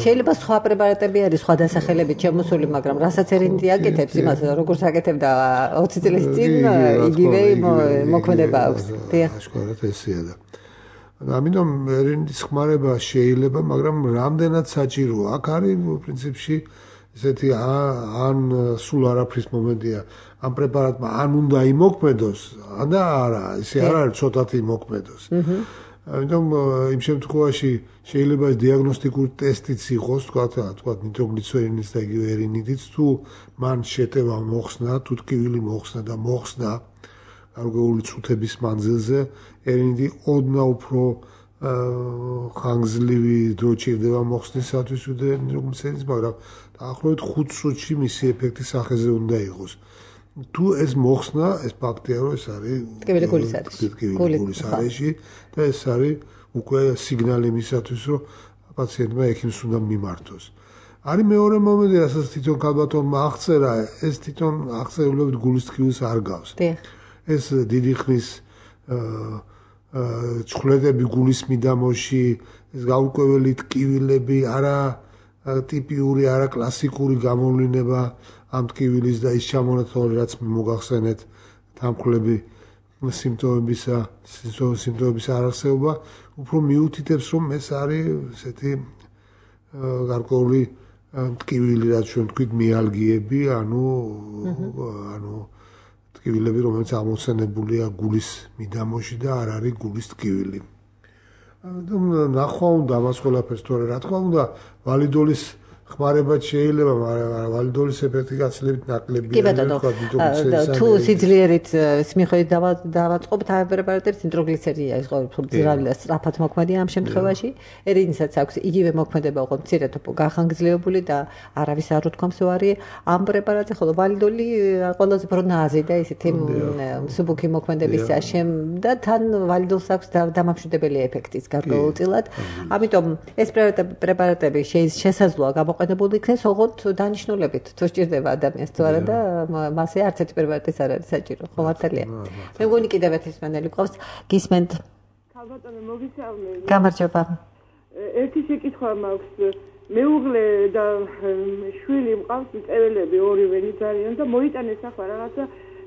შეიძლება სხვა პრეპარატები არის სხვა დასახელებით შემოსული, მაგრამ რასაც ერენიტი აკეთებს, იმას როგორც აკეთებდა ოცი წლის წინ, იგივე მოქმედება აქვს. დიახ. აშკარად ესეა და ამიტომ ერენიტის ხმარება შეიძლება, მაგრამ რამდენად საჭიროა? აქ არის პრინციპში ესეთი ან სულ არაფრის მომენტია ამ პრეპარატმა ან უნდა იმოქმედოს ან და არა ესე არ არის ცოტათი იმოქმედოს. ამიტომ იმ შემთხვევაში შეიძლება ეს დიაგნოსტიკური ტესტიც იყოს, თქვა თქვა ნიტროგლიცერინის და იგივე ერინიტიც, თუ მან შეტევა მოხსნა, თუ ტკივილი მოხსნა და მოხსნა გარკვეული წუთების მანძილზე, ერინიტი ოდნა უფრო ხანგრძლივი დრო ჭირდება მოხსნისათვის ვიდრე ნიტროგლიცერინის, მაგრამ დაახლოებით ხუთ წუთში მისი ეფექტი სახეზე უნდა იყოს. თუ ეს მოხსნა, ეს ფაქტია, რომ ეს არის ტკივილი გულის არის. ტკივილი გულის არეში და ეს არის უკვე სიგნალი იმისათვის, რომ პაციენტმა ექიმს უნდა მიმართოს. არის მეორე მომენტი, რასაც თვითონ ქალბატონმა აღწერა, ეს თვითონ აღწერილობით გულის ტკივილს არ გავს. ეს დიდი ხნის ჩხვლეტები გულის მიდამოში, ეს გაურკვეველი ტკივილები, არა ტიპიური, არა კლასიკური გამოვლინება ამ ტკივილის და ის ჩამონათვალი, რაც მოგახსენეთ, თანხმლები სიმპტომებისა, სიმპტომების არარსეობა, უფრო მიუთითებს, რომ ეს არის ესეთი გარკვეული ტკივილი, რაც ჩვენ ვთქვით, მიალგიები, ანუ ანუ ტკივილები, რომელიც ამოცენებულია გულის მიდამოში და არ არის გულის ტკივილი. ნახვა უნდა ამას ყველაფერს, თორე რა თქმა უნდა, ვალიდოლის ხმარებაც შეიძლება, მაგრამ ვალიდოლის ეფექტი გაცილებით ნაკლებია. კი ბატონო, თუ სიძლიერით მიხედვით დავაწყობთ ამ პრეპარატებს, ნიტროგლიცერინია ის ყოველთვის სწრაფად მოქმედია ამ შემთხვევაში. ერინისაც აქვს იგივე მოქმედება, ოღონდ მცირედ გახანგრძლივებული და არავის არ უთქვამს ვარი ამ პრეპარატზე, ხოლო ვალიდოლი ყველაზე უფრო ნაზი და ისეთი მსუბუქი მოქმედებისაშემ და თან ვალიდოლს აქვს დამამშვიდებელი ეფექტიც გარკვეულწილად. ამიტომ ეს პრეპარატები შესაძლოა გამოყენებული იქნეს ოღონდ დანიშნულებით, თუ სჭირდება ადამიანს თუ არა და მასე არც ერთი პრეპარატის არ არის საჭირო, ხო მართალია. მე მგონი კიდევ ერთი სმენელი ყავს, გისმენთ. ქალბატონო, მოგისალმებით. გამარჯობა. ერთი შეკითხვა მაქვს. მეუღლე და შვილი მყავს, წეველები ორივე არიან და მოიტანეს ახლა რაღაცა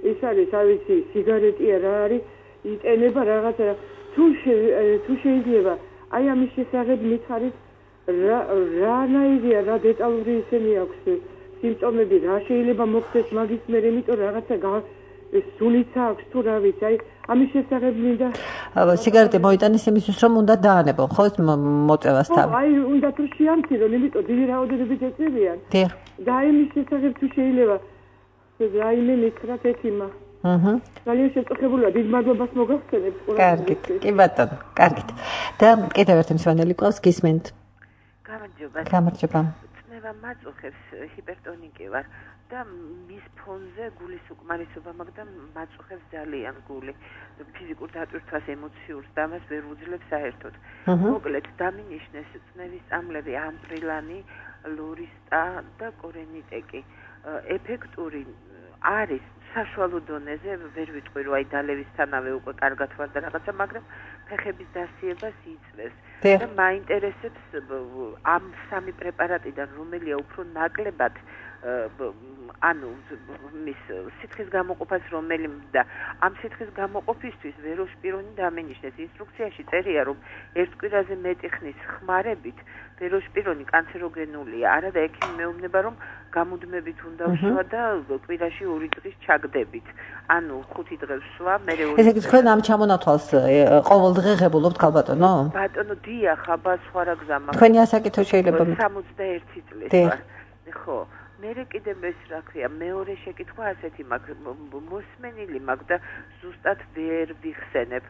ის არის, ავიცი, სიგარეტია რა არის, იტენება რაღაცა თუ თუ შეიძლება აი ამის შესახებ მითხარით რა რანაირია რა დეტალური ისენი აქვს სიმპტომები რა შეიძლება მოხდეს მაგის მერე იმიტომ რაღაცა სუნიცა აქვს თუ რა ვიცი აი ამის შესახებ მინდა სიგარეტი მოიტანის იმისთვის რომ უნდა დაანებონ ხო ეს მოწევას თავი აი უნდა თუ შეამცირონ იმიტომ დიდი რაოდენობით ეწევიან და იმის შესახებ თუ შეიძლება რაიმე მითხრათ ექიმა აჰა ძალიან შეწუხებულია დიდ მადლობას მოგახსენებთ კარგით კი ბატონო კარგით და კიდევ ერთი მსვენელი ყავს გისმენთ გამარჯობა გამარჯობა წნევა მაწუხებს ჰიპერტონიკი ვარ და მის ფონზე გულის უკმარისობა მაქვს და მაწუხებს ძალიან გული ფიზიკურ დატვირთვას ემოციურს და მას ვერ უძლებს საერთოდ მოკლედ დამინიშნეს წნევის წამლები ამპრილანი ლორისტა და კორენიტეკი ეფექტური არის საშუალო დონეზე ვერ ვიტყვი რომ აი დალევისთანავე უკვე კარგად ვარ და რაღაცა მაგრამ ფეხების დასიებას იწვევს და მაინტერესებს ამ სამი პრეპარატიდან რომელია უფრო ნაკლებად ანუ მის სითხის გამოყოფას რომელი და ამ სითხის გამოყოფისთვის ვეროშპირონი დამინიშნეს ინსტრუქციაში წერია რომ ერთ კვირაზე მეტი ხნის ხმარებით ვეროშპირონი კანცეროგენულია არა და ექიმი მეუბნება რომ გამუდმებით უნდა ვსვა და კვირაში ორი დღის ჩაგდებით ანუ ხუთი დღე ვსვა მე ესე იგი თქვენ ამ ჩამონათვალს ყოველდღე ღებულობთ ქალბატონო ბატონო დიახ აბა სხვა რა გზა მაქვს თქვენი ასაკითო შეიძლება სამოცდაერთი წლის ვარ ხო მერე კიდე ეს რა ქვია მეორე შეკითხვა ასეთი მაქვს მოსმენილი მაქვს და ზუსტად ვერ ვიხსენებ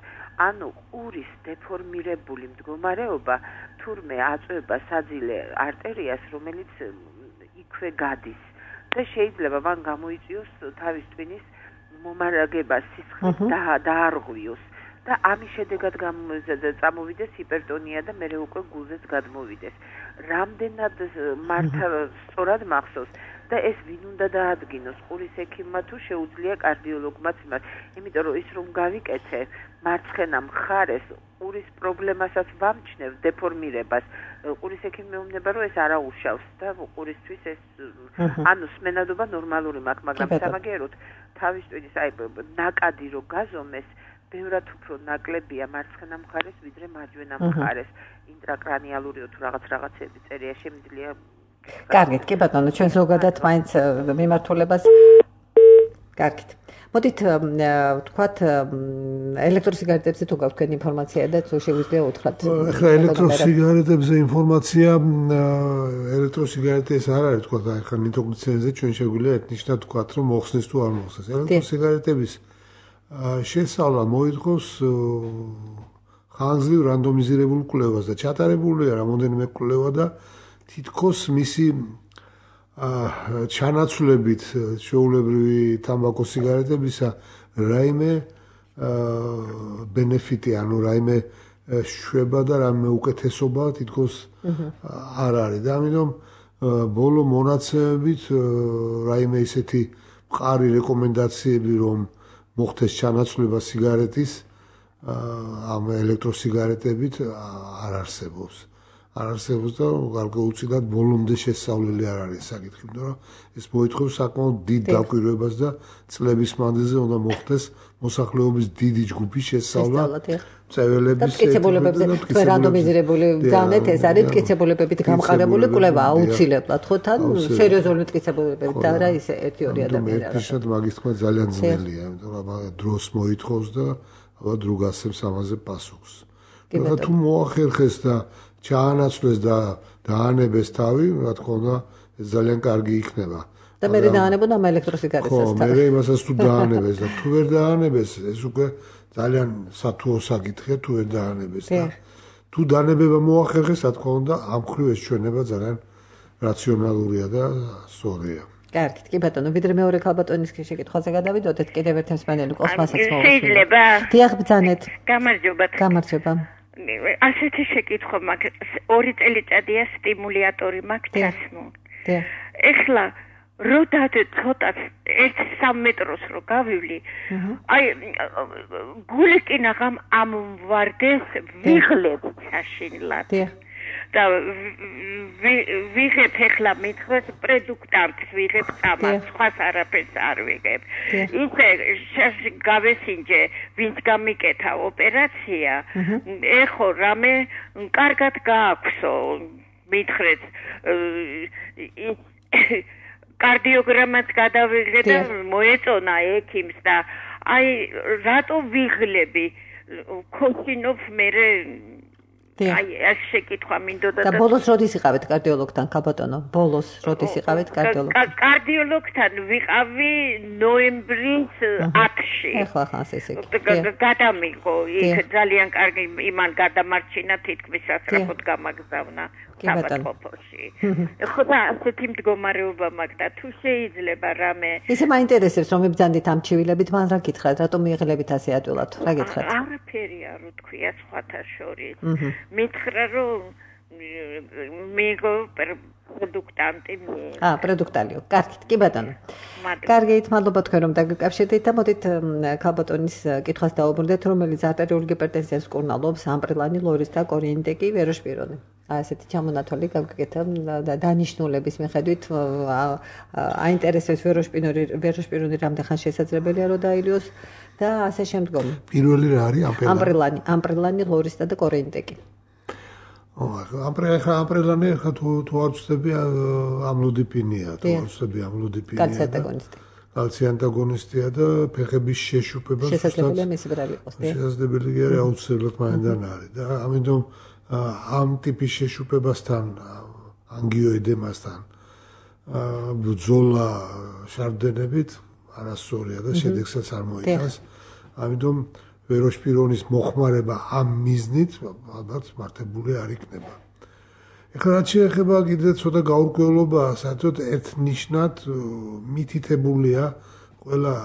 ანუ ყურის დეფორმირებული მდგომარეობა თურმე აწვება საძილე არტერიას რომელიც იქვე გადის და შეიძლება მან გამოიწვიოს თავის ტვინის მომარაგება სისხლის დაარღვიოს და ამის შედეგად წამოვიდეს ჰიპერტონია და მერე უკვე გულზეც გადმოვიდეს რამდენად მართა სწორად მახსოვს და ეს ვინ უნდა დაადგინოს ყურის ექიმმა თუ შეუძლია კარდიოლოგმაც იმას იმიტომ რომ ის რომ გავიკეთე მარცხენა მხარეს ყურის პრობლემასაც ვამჩნევ დეფორმირებას ყურის ექიმი მეუბნება რომ ეს არა უშავს და ყურისთვის ეს ანუ სმენადობა ნორმალური მაქვს მაგრამ სამაგეროდ თავის ტვინის აი ნაკადი რო გაზომეს ბევრად უფრო ნაკლებია მარცხენა მხარეს ვიდრე მარჯვენა მხარეს ინტრაკრანიალური თუ რაღაც რაღაცები წერია შემიძლია კარგით კი ბატონო ჩვენ ზოგადად მაინც მიმართულებას კარგით მოდით ვთქვათ ელექტროსიგარეტებზე თუ გაქვთ თქვენი ინფორმაცია და თუ შეგვიძლია უთხრათ ახლა ელექტროსიგარეტებზე ინფორმაცია ელექტროსიგარეტი ეს არ არის თქვათ ახლა ნიტროგლიცერინზე ჩვენ შეგვიძლია ერთნიშნად ვთქვათ რომ მოხსნეს თუ არ მოხსნეს ელექტროსიგარეტების შესწავლა მოითხოვს ხანგრძლივ რანდომიზირებულ კვლევას და ჩატარებულია რამოდენიმე კვლევა და თითქოს მისი ჩანაცვლებით შეულებრივი თამბაქოს სიგარეტებისა რაიმე ბენეფიტი ანუ რაიმე შვება და რაიმე უკეთესობა თითქოს არ არის და ამიტომ ბოლო მონაცემებით რაიმე ისეთი მყარი რეკომენდაციები რომ მოხდეს ჩანაცვლება სიგარეტის ამ ელექტროსიგარეტებით არ არსებობს. არ არსებობს და გარკვეულწილად ბოლომდე შესწავლილი არ არის საკითხი, იმიტომ რომ ეს მოითხოვს საკმაოდ დიდ დაკვირვებას და წლების მანძილზე უნდა მოხდეს მოსახლეობის დიდი ჯგუფის შესწავლა. წეველების მტკიცებულებებზე თქვენ რანდომიზირებული განეთ ეს არის მტკიცებულებებით გამყარებული კვლევა აუცილებლად ხო თან სერიოზული მტკიცებულებებით და არა ისე ერთი ორი ადამიანი არა. ერთიშად მაგის თქმა ძალიან ძნელია, იმიტომ რომ დროს მოითხოვს და ალბათ დრო გასცემს ამაზე პასუხს. და თუ მოახერხეს და ჩაანაცვლეს და დაანებეს თავი, რა თქმა უნდა, ეს ძალიან კარგი იქნება. და მე დაანებოდა ამ ელექტროსიგარეტსაც ხო, მე იმასაც თუ დაანებეს და თუ ვერ დაანებეს, ეს უკვე ძალიან სათუო საკითხია თუ ვერ დაანებეს და თუ დაანებება მოახერხეს, რა თქმა უნდა, ამ ხრივ ეს ჩვენება ძალიან რაციონალურია და სწორია. კარგით, კი ბატონო, ვიდრე მეორე ქალბატონის შეკითხვაზე გადავიდოდეთ, კიდევ ერთ მსმენელი ყავს მასაც მოვუწევთ. შეიძლება? დიახ, ბრძანეთ. გამარჯობა. გამარჯობა. ასეთი შეკითხვა მაქვს, ორი წელიწადია სტიმულატორი მაქვს ჩასმო. დიახ. ეხლა როდად ცოტა ერთ სამ მეტროს რო გავივლი, აი გული კინაღამ ამვარდეს ვიღლებ ჩაშინლად. დიახ. და ვიღებ ეხლა მithvers პროდუქტანტს ვიღებ წამას, სხვას არაფერს არ ვიღებ. ისე გავესინჯე, ვინც გამიკეთა ოპერაცია, ეხო რამე კარგად გააქვსო, მithvers კარდიოგრამაც გადავიღე და მოეწონა ექიმს და აი რატო ვიღლები ქოსინოვ მერე აი ეს შეკითხვა მინდოდა და ბოლოს როდის იყავით კარდიოლოგთან ქალბატონო ბოლოს როდის იყავით კარდიოლოგთან კარდიოლოგთან ვიყავი ნოემბრის ათში ახლა ხანს ესე იგი გადამიღო იქ ძალიან კარგი იმან გადამარჩინა თითქმის სასწრაფოდ გამაგზავნა საბათყოფოში ხო და ასეთი მდგომარეობა მაქვს და თუ შეიძლება რამე ისე მაინტერესებს რომ მიბძანდით ამ ჩივილებით მან რა გითხრათ რატომ მიიღლებით ასე ადვილად რა გითხრათ არაფერი არ უთქვია სხვათა შორის მითხრა რომ მეგო პროდუქტანტი აა პროდუქტალიო კარგით კი ბატონო კარგით მადლობა თქვენ რომ დაგიკავშირდით და მოდით ქალბატონის კითხვას დაუბრუნდეთ რომელიც არტერიული ჰიპერტენზიას კურნალობს ამპრილანი ლორის და კორიენტეკი ვეროშპირონი აი ესეთი ჩამონათვალი გავგეკეთა და დანიშნულების მიხედვით აინტერესებს ვეროშპირონი ვეროშპირონი რამდენ ხანს შესაძლებელია რომ დაილიოს და ასე შემდგომ პირველი რა არის ამპრილანი ამპრილანი ლორისა და კორიენტეკი ამპრილანი ხა თუ თუ არ ვწდები ამლოდინია თუ არ ვწდები ამლოდინია კალცი ანტაგონისტი კალცი ანტაგონისტია და ფეხების შეშუპება შესაძლებელია მისი ბრალი იყოს შესაძლებელია აუცილებლად მაინდან არის და ამიტომ ამ ტიპის შეშუპებასთან ანგიოედემასთან ბრძოლა შარდენებით არასწორია და შედეგსაც არ მოიტანს ამიტომ ვეროშპირონის მოხმარება ამ მიზნით ალბათ მართებული არ იქნება. ეხლა რაც შეეხება კიდე ცოტა გაურკვევლობაა, საერთოდ ერთნიშნად მითითებულია ყველა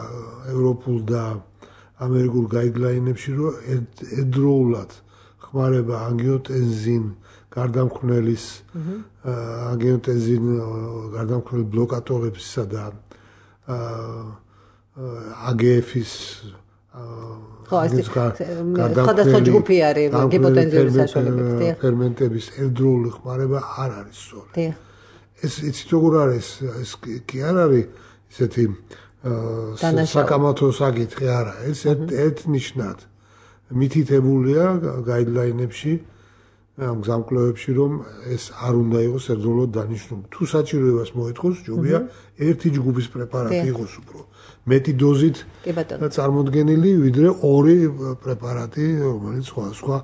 ევროპულ და ამერიკულ გაიდლაინებში, რომ ერთდროულად ხმარება ანგიოტენზინ გარდამქმნელის ანგიოტენზინ გარდამქმნელი ბლოკატორებსა და აგეეფის ხო ეს სხვადასხვა ჯგუფი არის გიპოტენზიური საშუალებები ფერმენტების ერთდროული ხმარება არ არის სწორი ეს იცით როგორ არის ეს კი არ არის ისეთი საკამათო საკითხი არა ეს ერთნიშნად მითითებულია გაიდლაინებში ამ გზამკვლევებში რომ ეს არ უნდა იყოს ერთდროულად დანიშნული თუ საჭიროებას მოითხოვს ჯობია ერთი ჯგუფის პრეპარატი იყოს უფრო მეტი დოზით წარმოდგენილი ვიდრე ორი პრეპარატი რომელიც სხვა სხვა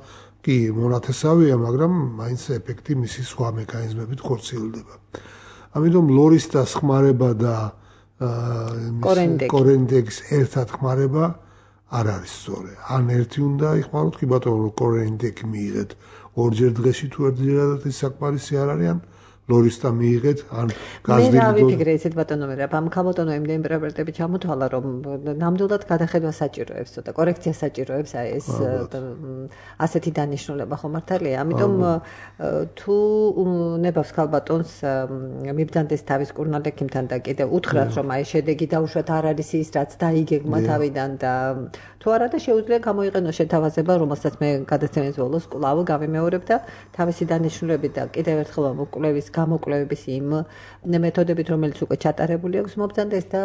კი მონათესავია მაგრამ მაინც ეფექტი მისი სხვა მექანიზმებით ხორციელდება ამიტომ ლორის და ხმარება და კორიენტეკის ერთად ხმარება არ არის სწორი ან ერთი უნდა იხმაროთ კი ბატონო კორიენტეკი მიიღეთ ორჯერ დღეში თუ ერთჯერადად ის საკმარისი არ არის ან ლორისთა მიიღეთ ან გაზდილი მე რა ვიფიქრე ისეთ ბატონო მე რა ამ ქალბატონო იმდენი პრეპარატები ჩამოთვალა რომ ნამდვილად გადახედვა საჭიროებს ცოტა კორექცია საჭიროებს აი ეს ასეთი დანიშნულება ხო მართალია ამიტომ თუ ნებავს ქალბატონს მიბძანდეს თავის კურნალექიმთან და კიდე უთხრათ რომ აი შედეგი დაუშვათ არ არის ის რაც დაიგეგმა თავიდან და თუ არა და შეუძლია გამოიყენოს შეთავაზება რომელსაც მე გადაცემის ბოლოს კვლავ გავიმეორებ და თავისი დანიშნულებით და კიდევ ერთხელ მოკვლევის გამოკვლევების იმ მეთოდებით რომელიც უკვე ჩატარებული აქვს მობძანდეს და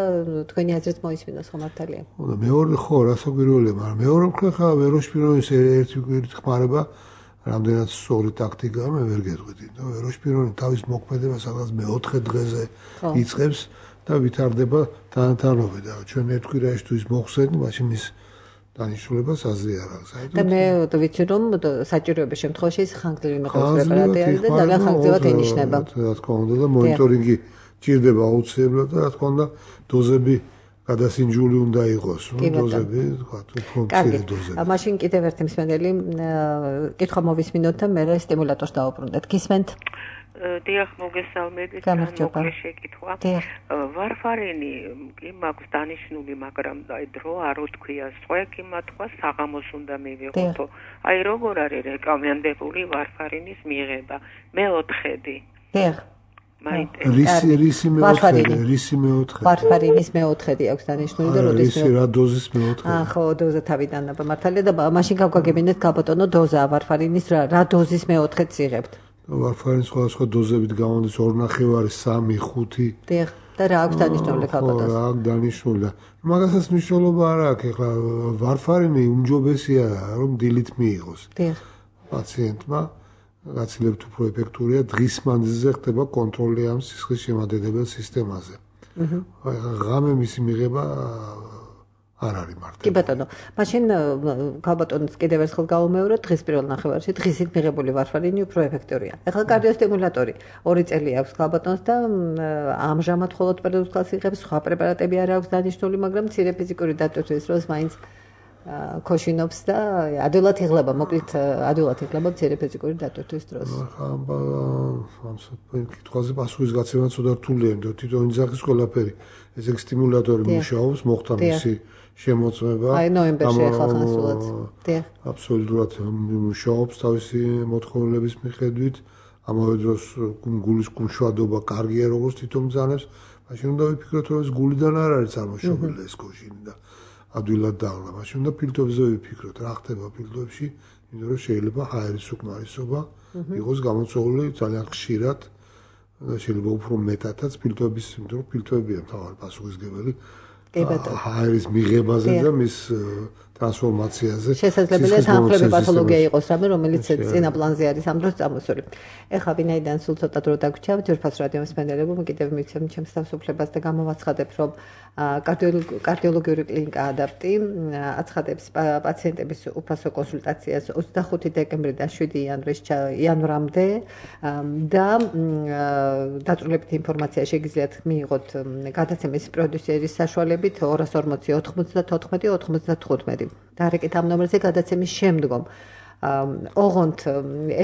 თქვენი აზრით მოისმინოს ხო მართალია? ხო და მეორე ხო რასაკვირველია მაგრამ მეორე მხრივ ხა ვეროშპირონის ერთი კვირით ხმარება რამდენად სწორი ტაქტიკაა მე ვერ გეტყვით და ვეროშპირონი თავის მოქმედებას სადღაც მეოთხე დღეზე იწყებს და ვითარდება თანათანობით და ჩვენ ერთ კვირაში თუ ის მოხსენით მაშინ ის დანიშნულებას აზრი არ აქვს. და მე ვიცი რომ საჭიროების შემთხვევაში ეს ხანგრძლივი მეყოლის პრეპარატი არის და ძალიან ხანგრძლივად ენიშნება. რა თქმა უნდა და მონიტორინგი ჭირდება აუცილებლად და რა თქმა უნდა დოზები გადასინჯული უნდა იყოს, ну დოზები, თქვა თუ ფუნქციური დოზები. მაშინ კიდევ ერთი მსმენელი კითხვა მოვისმინოთ და მე სტიმულატორს დავუბრუნდეთ. გისმენთ? დიახ, მოგესალმებით. გამარჯობა. შეკითხვა. ვარფარინი კი მაქვს დანიშნული, მაგრამ აი დრო არ უთქვია. სხვა კი მათქვა საღამოს უნდა მივიღოთ. აი როგორ არის რეკომენდებული ვარფარინის მიღება? მეოთხედი. დიახ. რისი რისი მეოთხედი, რისი მეოთხედი. ვარფარინის მეოთხედი აქვს დანიშნული და როდის რისი რა დოზის მეოთხედი. აა ხო, დოზა თავიდან მართალია და მაშინ გავგაგებინეთ ქალბატონო დოზა ვარფარინის რა რა დოზის მეოთხედს იღებთ? ვარფარინის სხვადასხვა დოზებით გამოდის ორი ნახევარი, სამი, ხუთი. დიახ, და რა აქვს დანიშნული ქალბატონს? რა აქვს დანიშნული. მაგასაც მნიშვნელობა არ აქვს, ეხლა ვარფარინი უმჯობესია რომ დილით მიიღოს. დიახ. პაციენტმა გაცილებით უფრო ეფექტურია დღის მანძილზე ხდება კონტროლი ამ სისხლის შემადედებელ სისტემაზე. აჰა. ღამე მისი მიღება არ არის მარტო. კი ბატონო, მაშინ ქალბატონს კიდევ ერთხელ გავუმეოროთ, დღის პირველ ნახევარში დღისით მიღებული ვარფარინი უფრო ეფექტურია. ეხლა კარდიოსტიმულატორი ორი წელი აქვს ქალბატონს და ამჟამად მხოლოდ პერდუქალს იღებს, სხვა პრეპარატები არ აქვს დანიშნული, მაგრამ მცირე ფიზიკური დატვირთვის დროს მაინც ქოშინობს და ადვილად იღლება, მოკლედ ადვილად იღლება მცირე ფიზიკური დატვირთვის დროს. ამ კითხვაზე პასუხის გაცემა ცოტა რთულია, იმიტომ რომ თვითონ იძახის ყველაფერი. ეს სტიმულატორი მუშაობს, მოხდა მისი შემოწმება. აი ნოემბერში ახლა ხანსულად. დიახ. აბსოლუტურად მუშაობს თავისი მოთხოვნილების მიხედვით. ამავე დროს გულის გულშვადობა კარგია, როგორც თვითონ ბრძანებს. მაშინ უნდა ვიფიქროთ, რომ ეს გულიდან არ არის წარმოშობილი ეს ქოშინი და ადვილად დააღლა. მაშინ უნდა ფილტვებზე ვიფიქროთ, რა ხდება ფილტვებში, იმიტომ რომ შეიძლება ჰაერის უკმარისობა იყოს გამოწვეული ძალიან ხშირად. შეიძლება უფრო მეტადაც ფილტვების, იმიტომ რომ ფილტვებია მთავარი პასუხისმგებელი ჰაერის მიღებაზე და მის ტრანსფორმაციაზე. შესაძლებელია თანხლები პათოლოგია იყოს რამე, რომელიც წინა პლანზე არის ამ დროს წამოსული. ეხლა ვინაიდან სულ ცოტა დრო დაგვრჩა, ძვირფას რადიო მსმენელებო, კიდევ მიცემ ჩემს თავისუფლებას და გამოვაცხადებ, რომ კარდიოლოგიური კლინიკა ადაპტი აცხადებს პაციენტების უფასო კონსულტაციას ოცდახუთი დეკემბრიდან შვიდი იანვრამდე და დაწვრილებითი ინფორმაცია შეგიძლიათ მიიღოთ გადაცემის პროდიუსერის საშუალებით ორას ორმოცი ოთხმოცდათოთხმეტი ოთხმოცდათხუთმეტი. დარეკეთ ამ ნომერზე გადაცემის შემდგომ. ოღონდ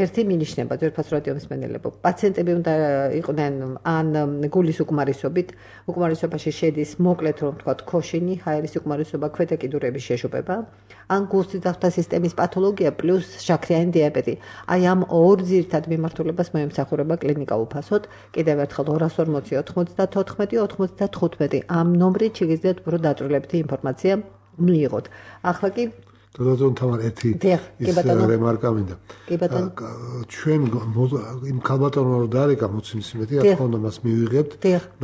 ერთი მინიშნება ძვირფას რადიო მსმენელებო. პაციენტები უნდა იყვნენ ან გულის უკმარისობით, უკმარისობაში შედის მოკლედ რომ ვთქვათ ქოშინი, ჰაერის უკმარისობა, ქვედა კიდურების შეშუპება, ან გულსიძახთა სისტემის პათოლოგია პლუს შაქრიანი დიაბეტი. აი ამ ორ ძირითად მიმართულებას მოემსახურება კლინიკა უფასოდ. კიდევ ერთხელ ორას ორმოცი ოთხმოცდათოთხმეტი ოთხმოცდათხუთმეტი. ამ ნომრით შეგიძლიათ უფრო დაწვრილებითი ინფორმაცია მიიღოთ. ახლა კი დადოთ თამარ ერთი ის რემარკა მინდა. ჩვენ იმ ქალბატონმა რომ დაარეკა მოცემსიმეთი, რა თქმა უნდა მას მივიღებთ,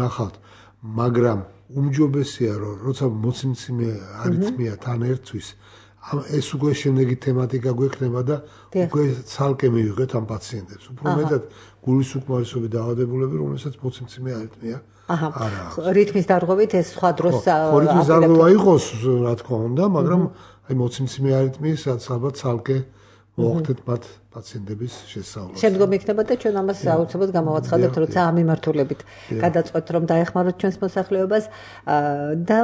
ნახავთ, მაგრამ უმჯობესია რომ როცა მოცემსიმე არითმია თან ერთვის, ეს უკვე შემდეგი თემატიკა გვექნება და უკვე ცალკე მივიღეთ ამ პაციენტებს. უფრო მეტად გულის უკმარისობის დაავადებულები, რომელსაც მოცემსიმე არითმია არა. რითმის დარღვევით ეს სხვა დროს რითმის დარღვევა იყოს, რა თქმა უნდა, მაგრამ აი მოცემსიმე არითმიის ალბათ ცალკე მოახდეთ მათ პაციენტების შესწავლას. შემდგომ იქნება და ჩვენ ამას აუცილებლად გამოვაცხადებთ, როცა ამ მიმართულებით გადაწყვეტთ, რომ დაეხმაროთ ჩვენს მოსახლეობას და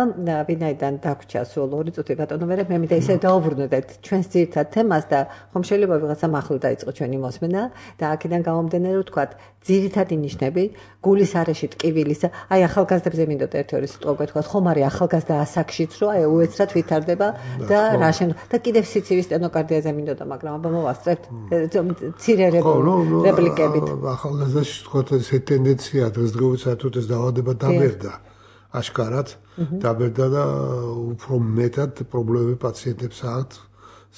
ვინაიდან დაგვრჩა სულ ორი წუთი ბატონო მერე მე მინდა ისე დაუბრუნდეთ ჩვენს ძირითად თემას და ხომ შეიძლება ვიღაცამ ახლო დაიწყო ჩვენი მოსმენა და აქედან გამომდინარე რომ ვთქვათ ძირითადი ნიშნები გულის არეში ტკივილის აი ახალგაზრდებზე მინდოდა ერთი ორი სიტყვა გეთქვათ ხომ არის ახალგაზრდა ასაკშიც რომ აი უეცრად ვითარდება და რა შემდგომ და კიდევ სიცივის სტენოკარდიაზე მინდოდა მაგრამ აბა მოვასწრებთ მცირე რეპლიკებით. ახალგაზრდაში თქვათ ეს ტენდენცია დღესდღეობით საერთოდ ეს დაავადება დაბერდა. აშკარად დაბერდა და უფრო მეტად პრობლემები პაციენტებს აქვთ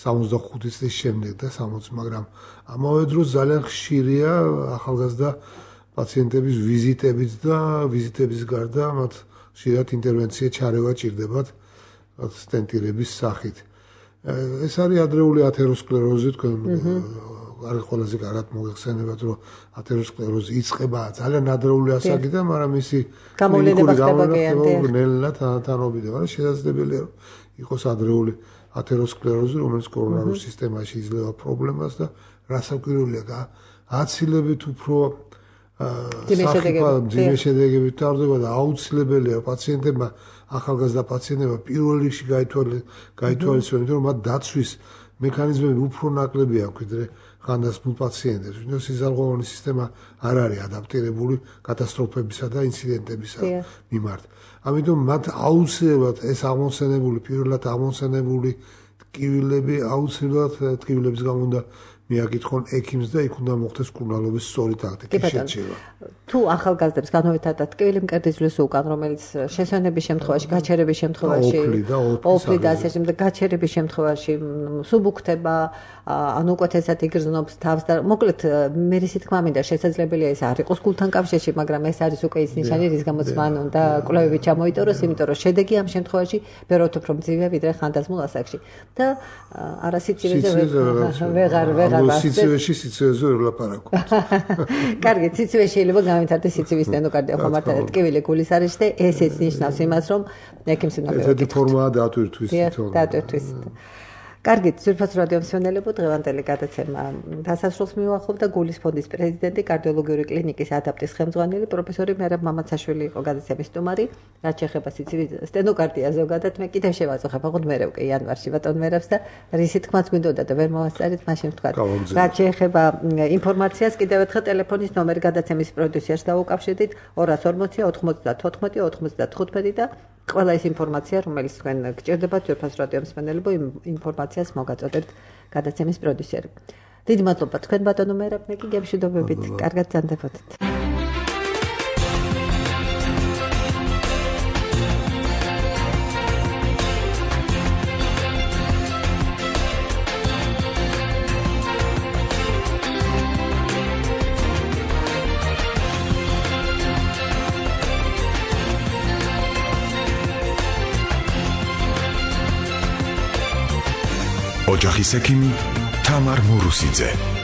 სამოცდახუთი წლის შემდეგ და სამოცი, მაგრამ ამავე დროს ძალიან ხშირია ახალგაზრდა პაციენტების ვიზიტებიც და ვიზიტების გარდა მათ ხშირად ინტერვენცია ჩარევა ჭირდებათ სტენტირების სახით. ეს არის ადრეული ათეროსკლეროზი, თქვენ არის ყველაზე კარგად მოგეხსენებათ, რომ ათეროსკლეროზი იწყება ძალიან ადრეული ასაკიდან, მაგრამ ისი გამოვლენა ხდება ნელ-ნელა თანამედროვე, მაგრამ შესაძლებელია რომ იყოს ადრეული ათეროსკლეროზი, რომელიც კორონარულ სისტემაში იძლევა პრობლემას და რასაკვირველია, აცილებით უფრო ძიმე შედეგებით ტარდება და აუცილებელია პაციენტებმა ახალგაზრდა პაციენტებმა პირველ რიგში გაითვალისწინონ, რომ მათ დაცვის მექანიზმები უფრო ნაკლები აქვს, ვიდრე ხანდაზმულ პაციენტებს. ვინმე სიზარღვოვანი სისტემა არ არის ადაპტირებული კატასტროფებისა და ინციდენტებისა მიმართ. ამიტომ მათ აუცილებლად ეს აღმოსენებული, პირველად აღმოსენებული ტკივილები აუცილებლად ტკივილების გამო უნდა მიაკითხონ ექიმს და იქ უნდა მოხდეს კურნალობის სწორი ტაქტიკის შეჭრა. თუ ახალგაზრდებს განუვითარდათ ტკივილი მკერდის უკან, რომელიც შესვენების შემთხვევაში, გაჩერების შემთხვევაში, ოფლი და ასე შემდეგ გაჩერების შემთხვევაში სუბუქდება, ანუ უკეთესად იგრძნობს თავს და მოკლედ მე ისე თქმა მინდა შესაძლებელია ეს არ იყოს გულთან კავშირში, მაგრამ ეს არის უკვე ის ნიშანი, რის გამოც მან უნდა კვლევები ჩამოიტოროს, იმიტომ რომ შედეგი ამ შემთხვევაში ბევრად უფრო მძიმე ვიდრე ხანდაზმულ ასაკში. და არასიცივეზე ვეღარ ვეღარ აღარ სიცივეში სიცივეზე ვერ ვლაპარაკობთ. კარგი, სიცივე შეიძლება გამითარდეს სიცივის სტენოკარდია ხომ არ ტკივილი გულის არის და ესეც ნიშნავს იმას, რომ ექიმს უნდა მივეკითხოთ. ესეთი ფორმაა დატვირთვის თვითონ. დატვირთვის. კარგი, ძვირფას რადიო მსმენელებო, დღევანდელი გადაცემა დასასრულს მივახობ და გულის ფონდის პრეზიდენტი, კარდიოლოგიური კლინიკის ადაპტის ხელმძღვანელი პროფესორი მერაბ მამაცაშვილი იყო გადაცემის სტუმარი. რაც შეეხება სიცივის სტენოკარდია ზოგადად, მე კიდევ შევაწუხებ, აღარ მერე უკვე იანვარში ბატონ მერაბს და რისი თქმაც გვინდოდა და ვერ მოვასწარით, მაშინ ვთქვა. რაც შეეხება ინფორმაციას, კიდევ ერთხელ ტელეფონის ნომერი გადაცემის პროდიუსერს დაუკავშირდით ორას ორმოცი ოთხმოცდათოთხმეტი ოთხმოცდათხუთმეტი და ყველა ის ინფორმაცია, რომელიც თქვენ გჭირდებათ ძვირფას რადიო მსმენელებო, ინფორმაციას მოგაწოდებთ გადაცემის პროდიუსერი. დიდი მადლობა თქვენ ბატონო მერაბ, მე კი გემშვიდობებით, კარგად ძანდებოდეთ. ოჯახის ექიმი თამარ მურუსიძე.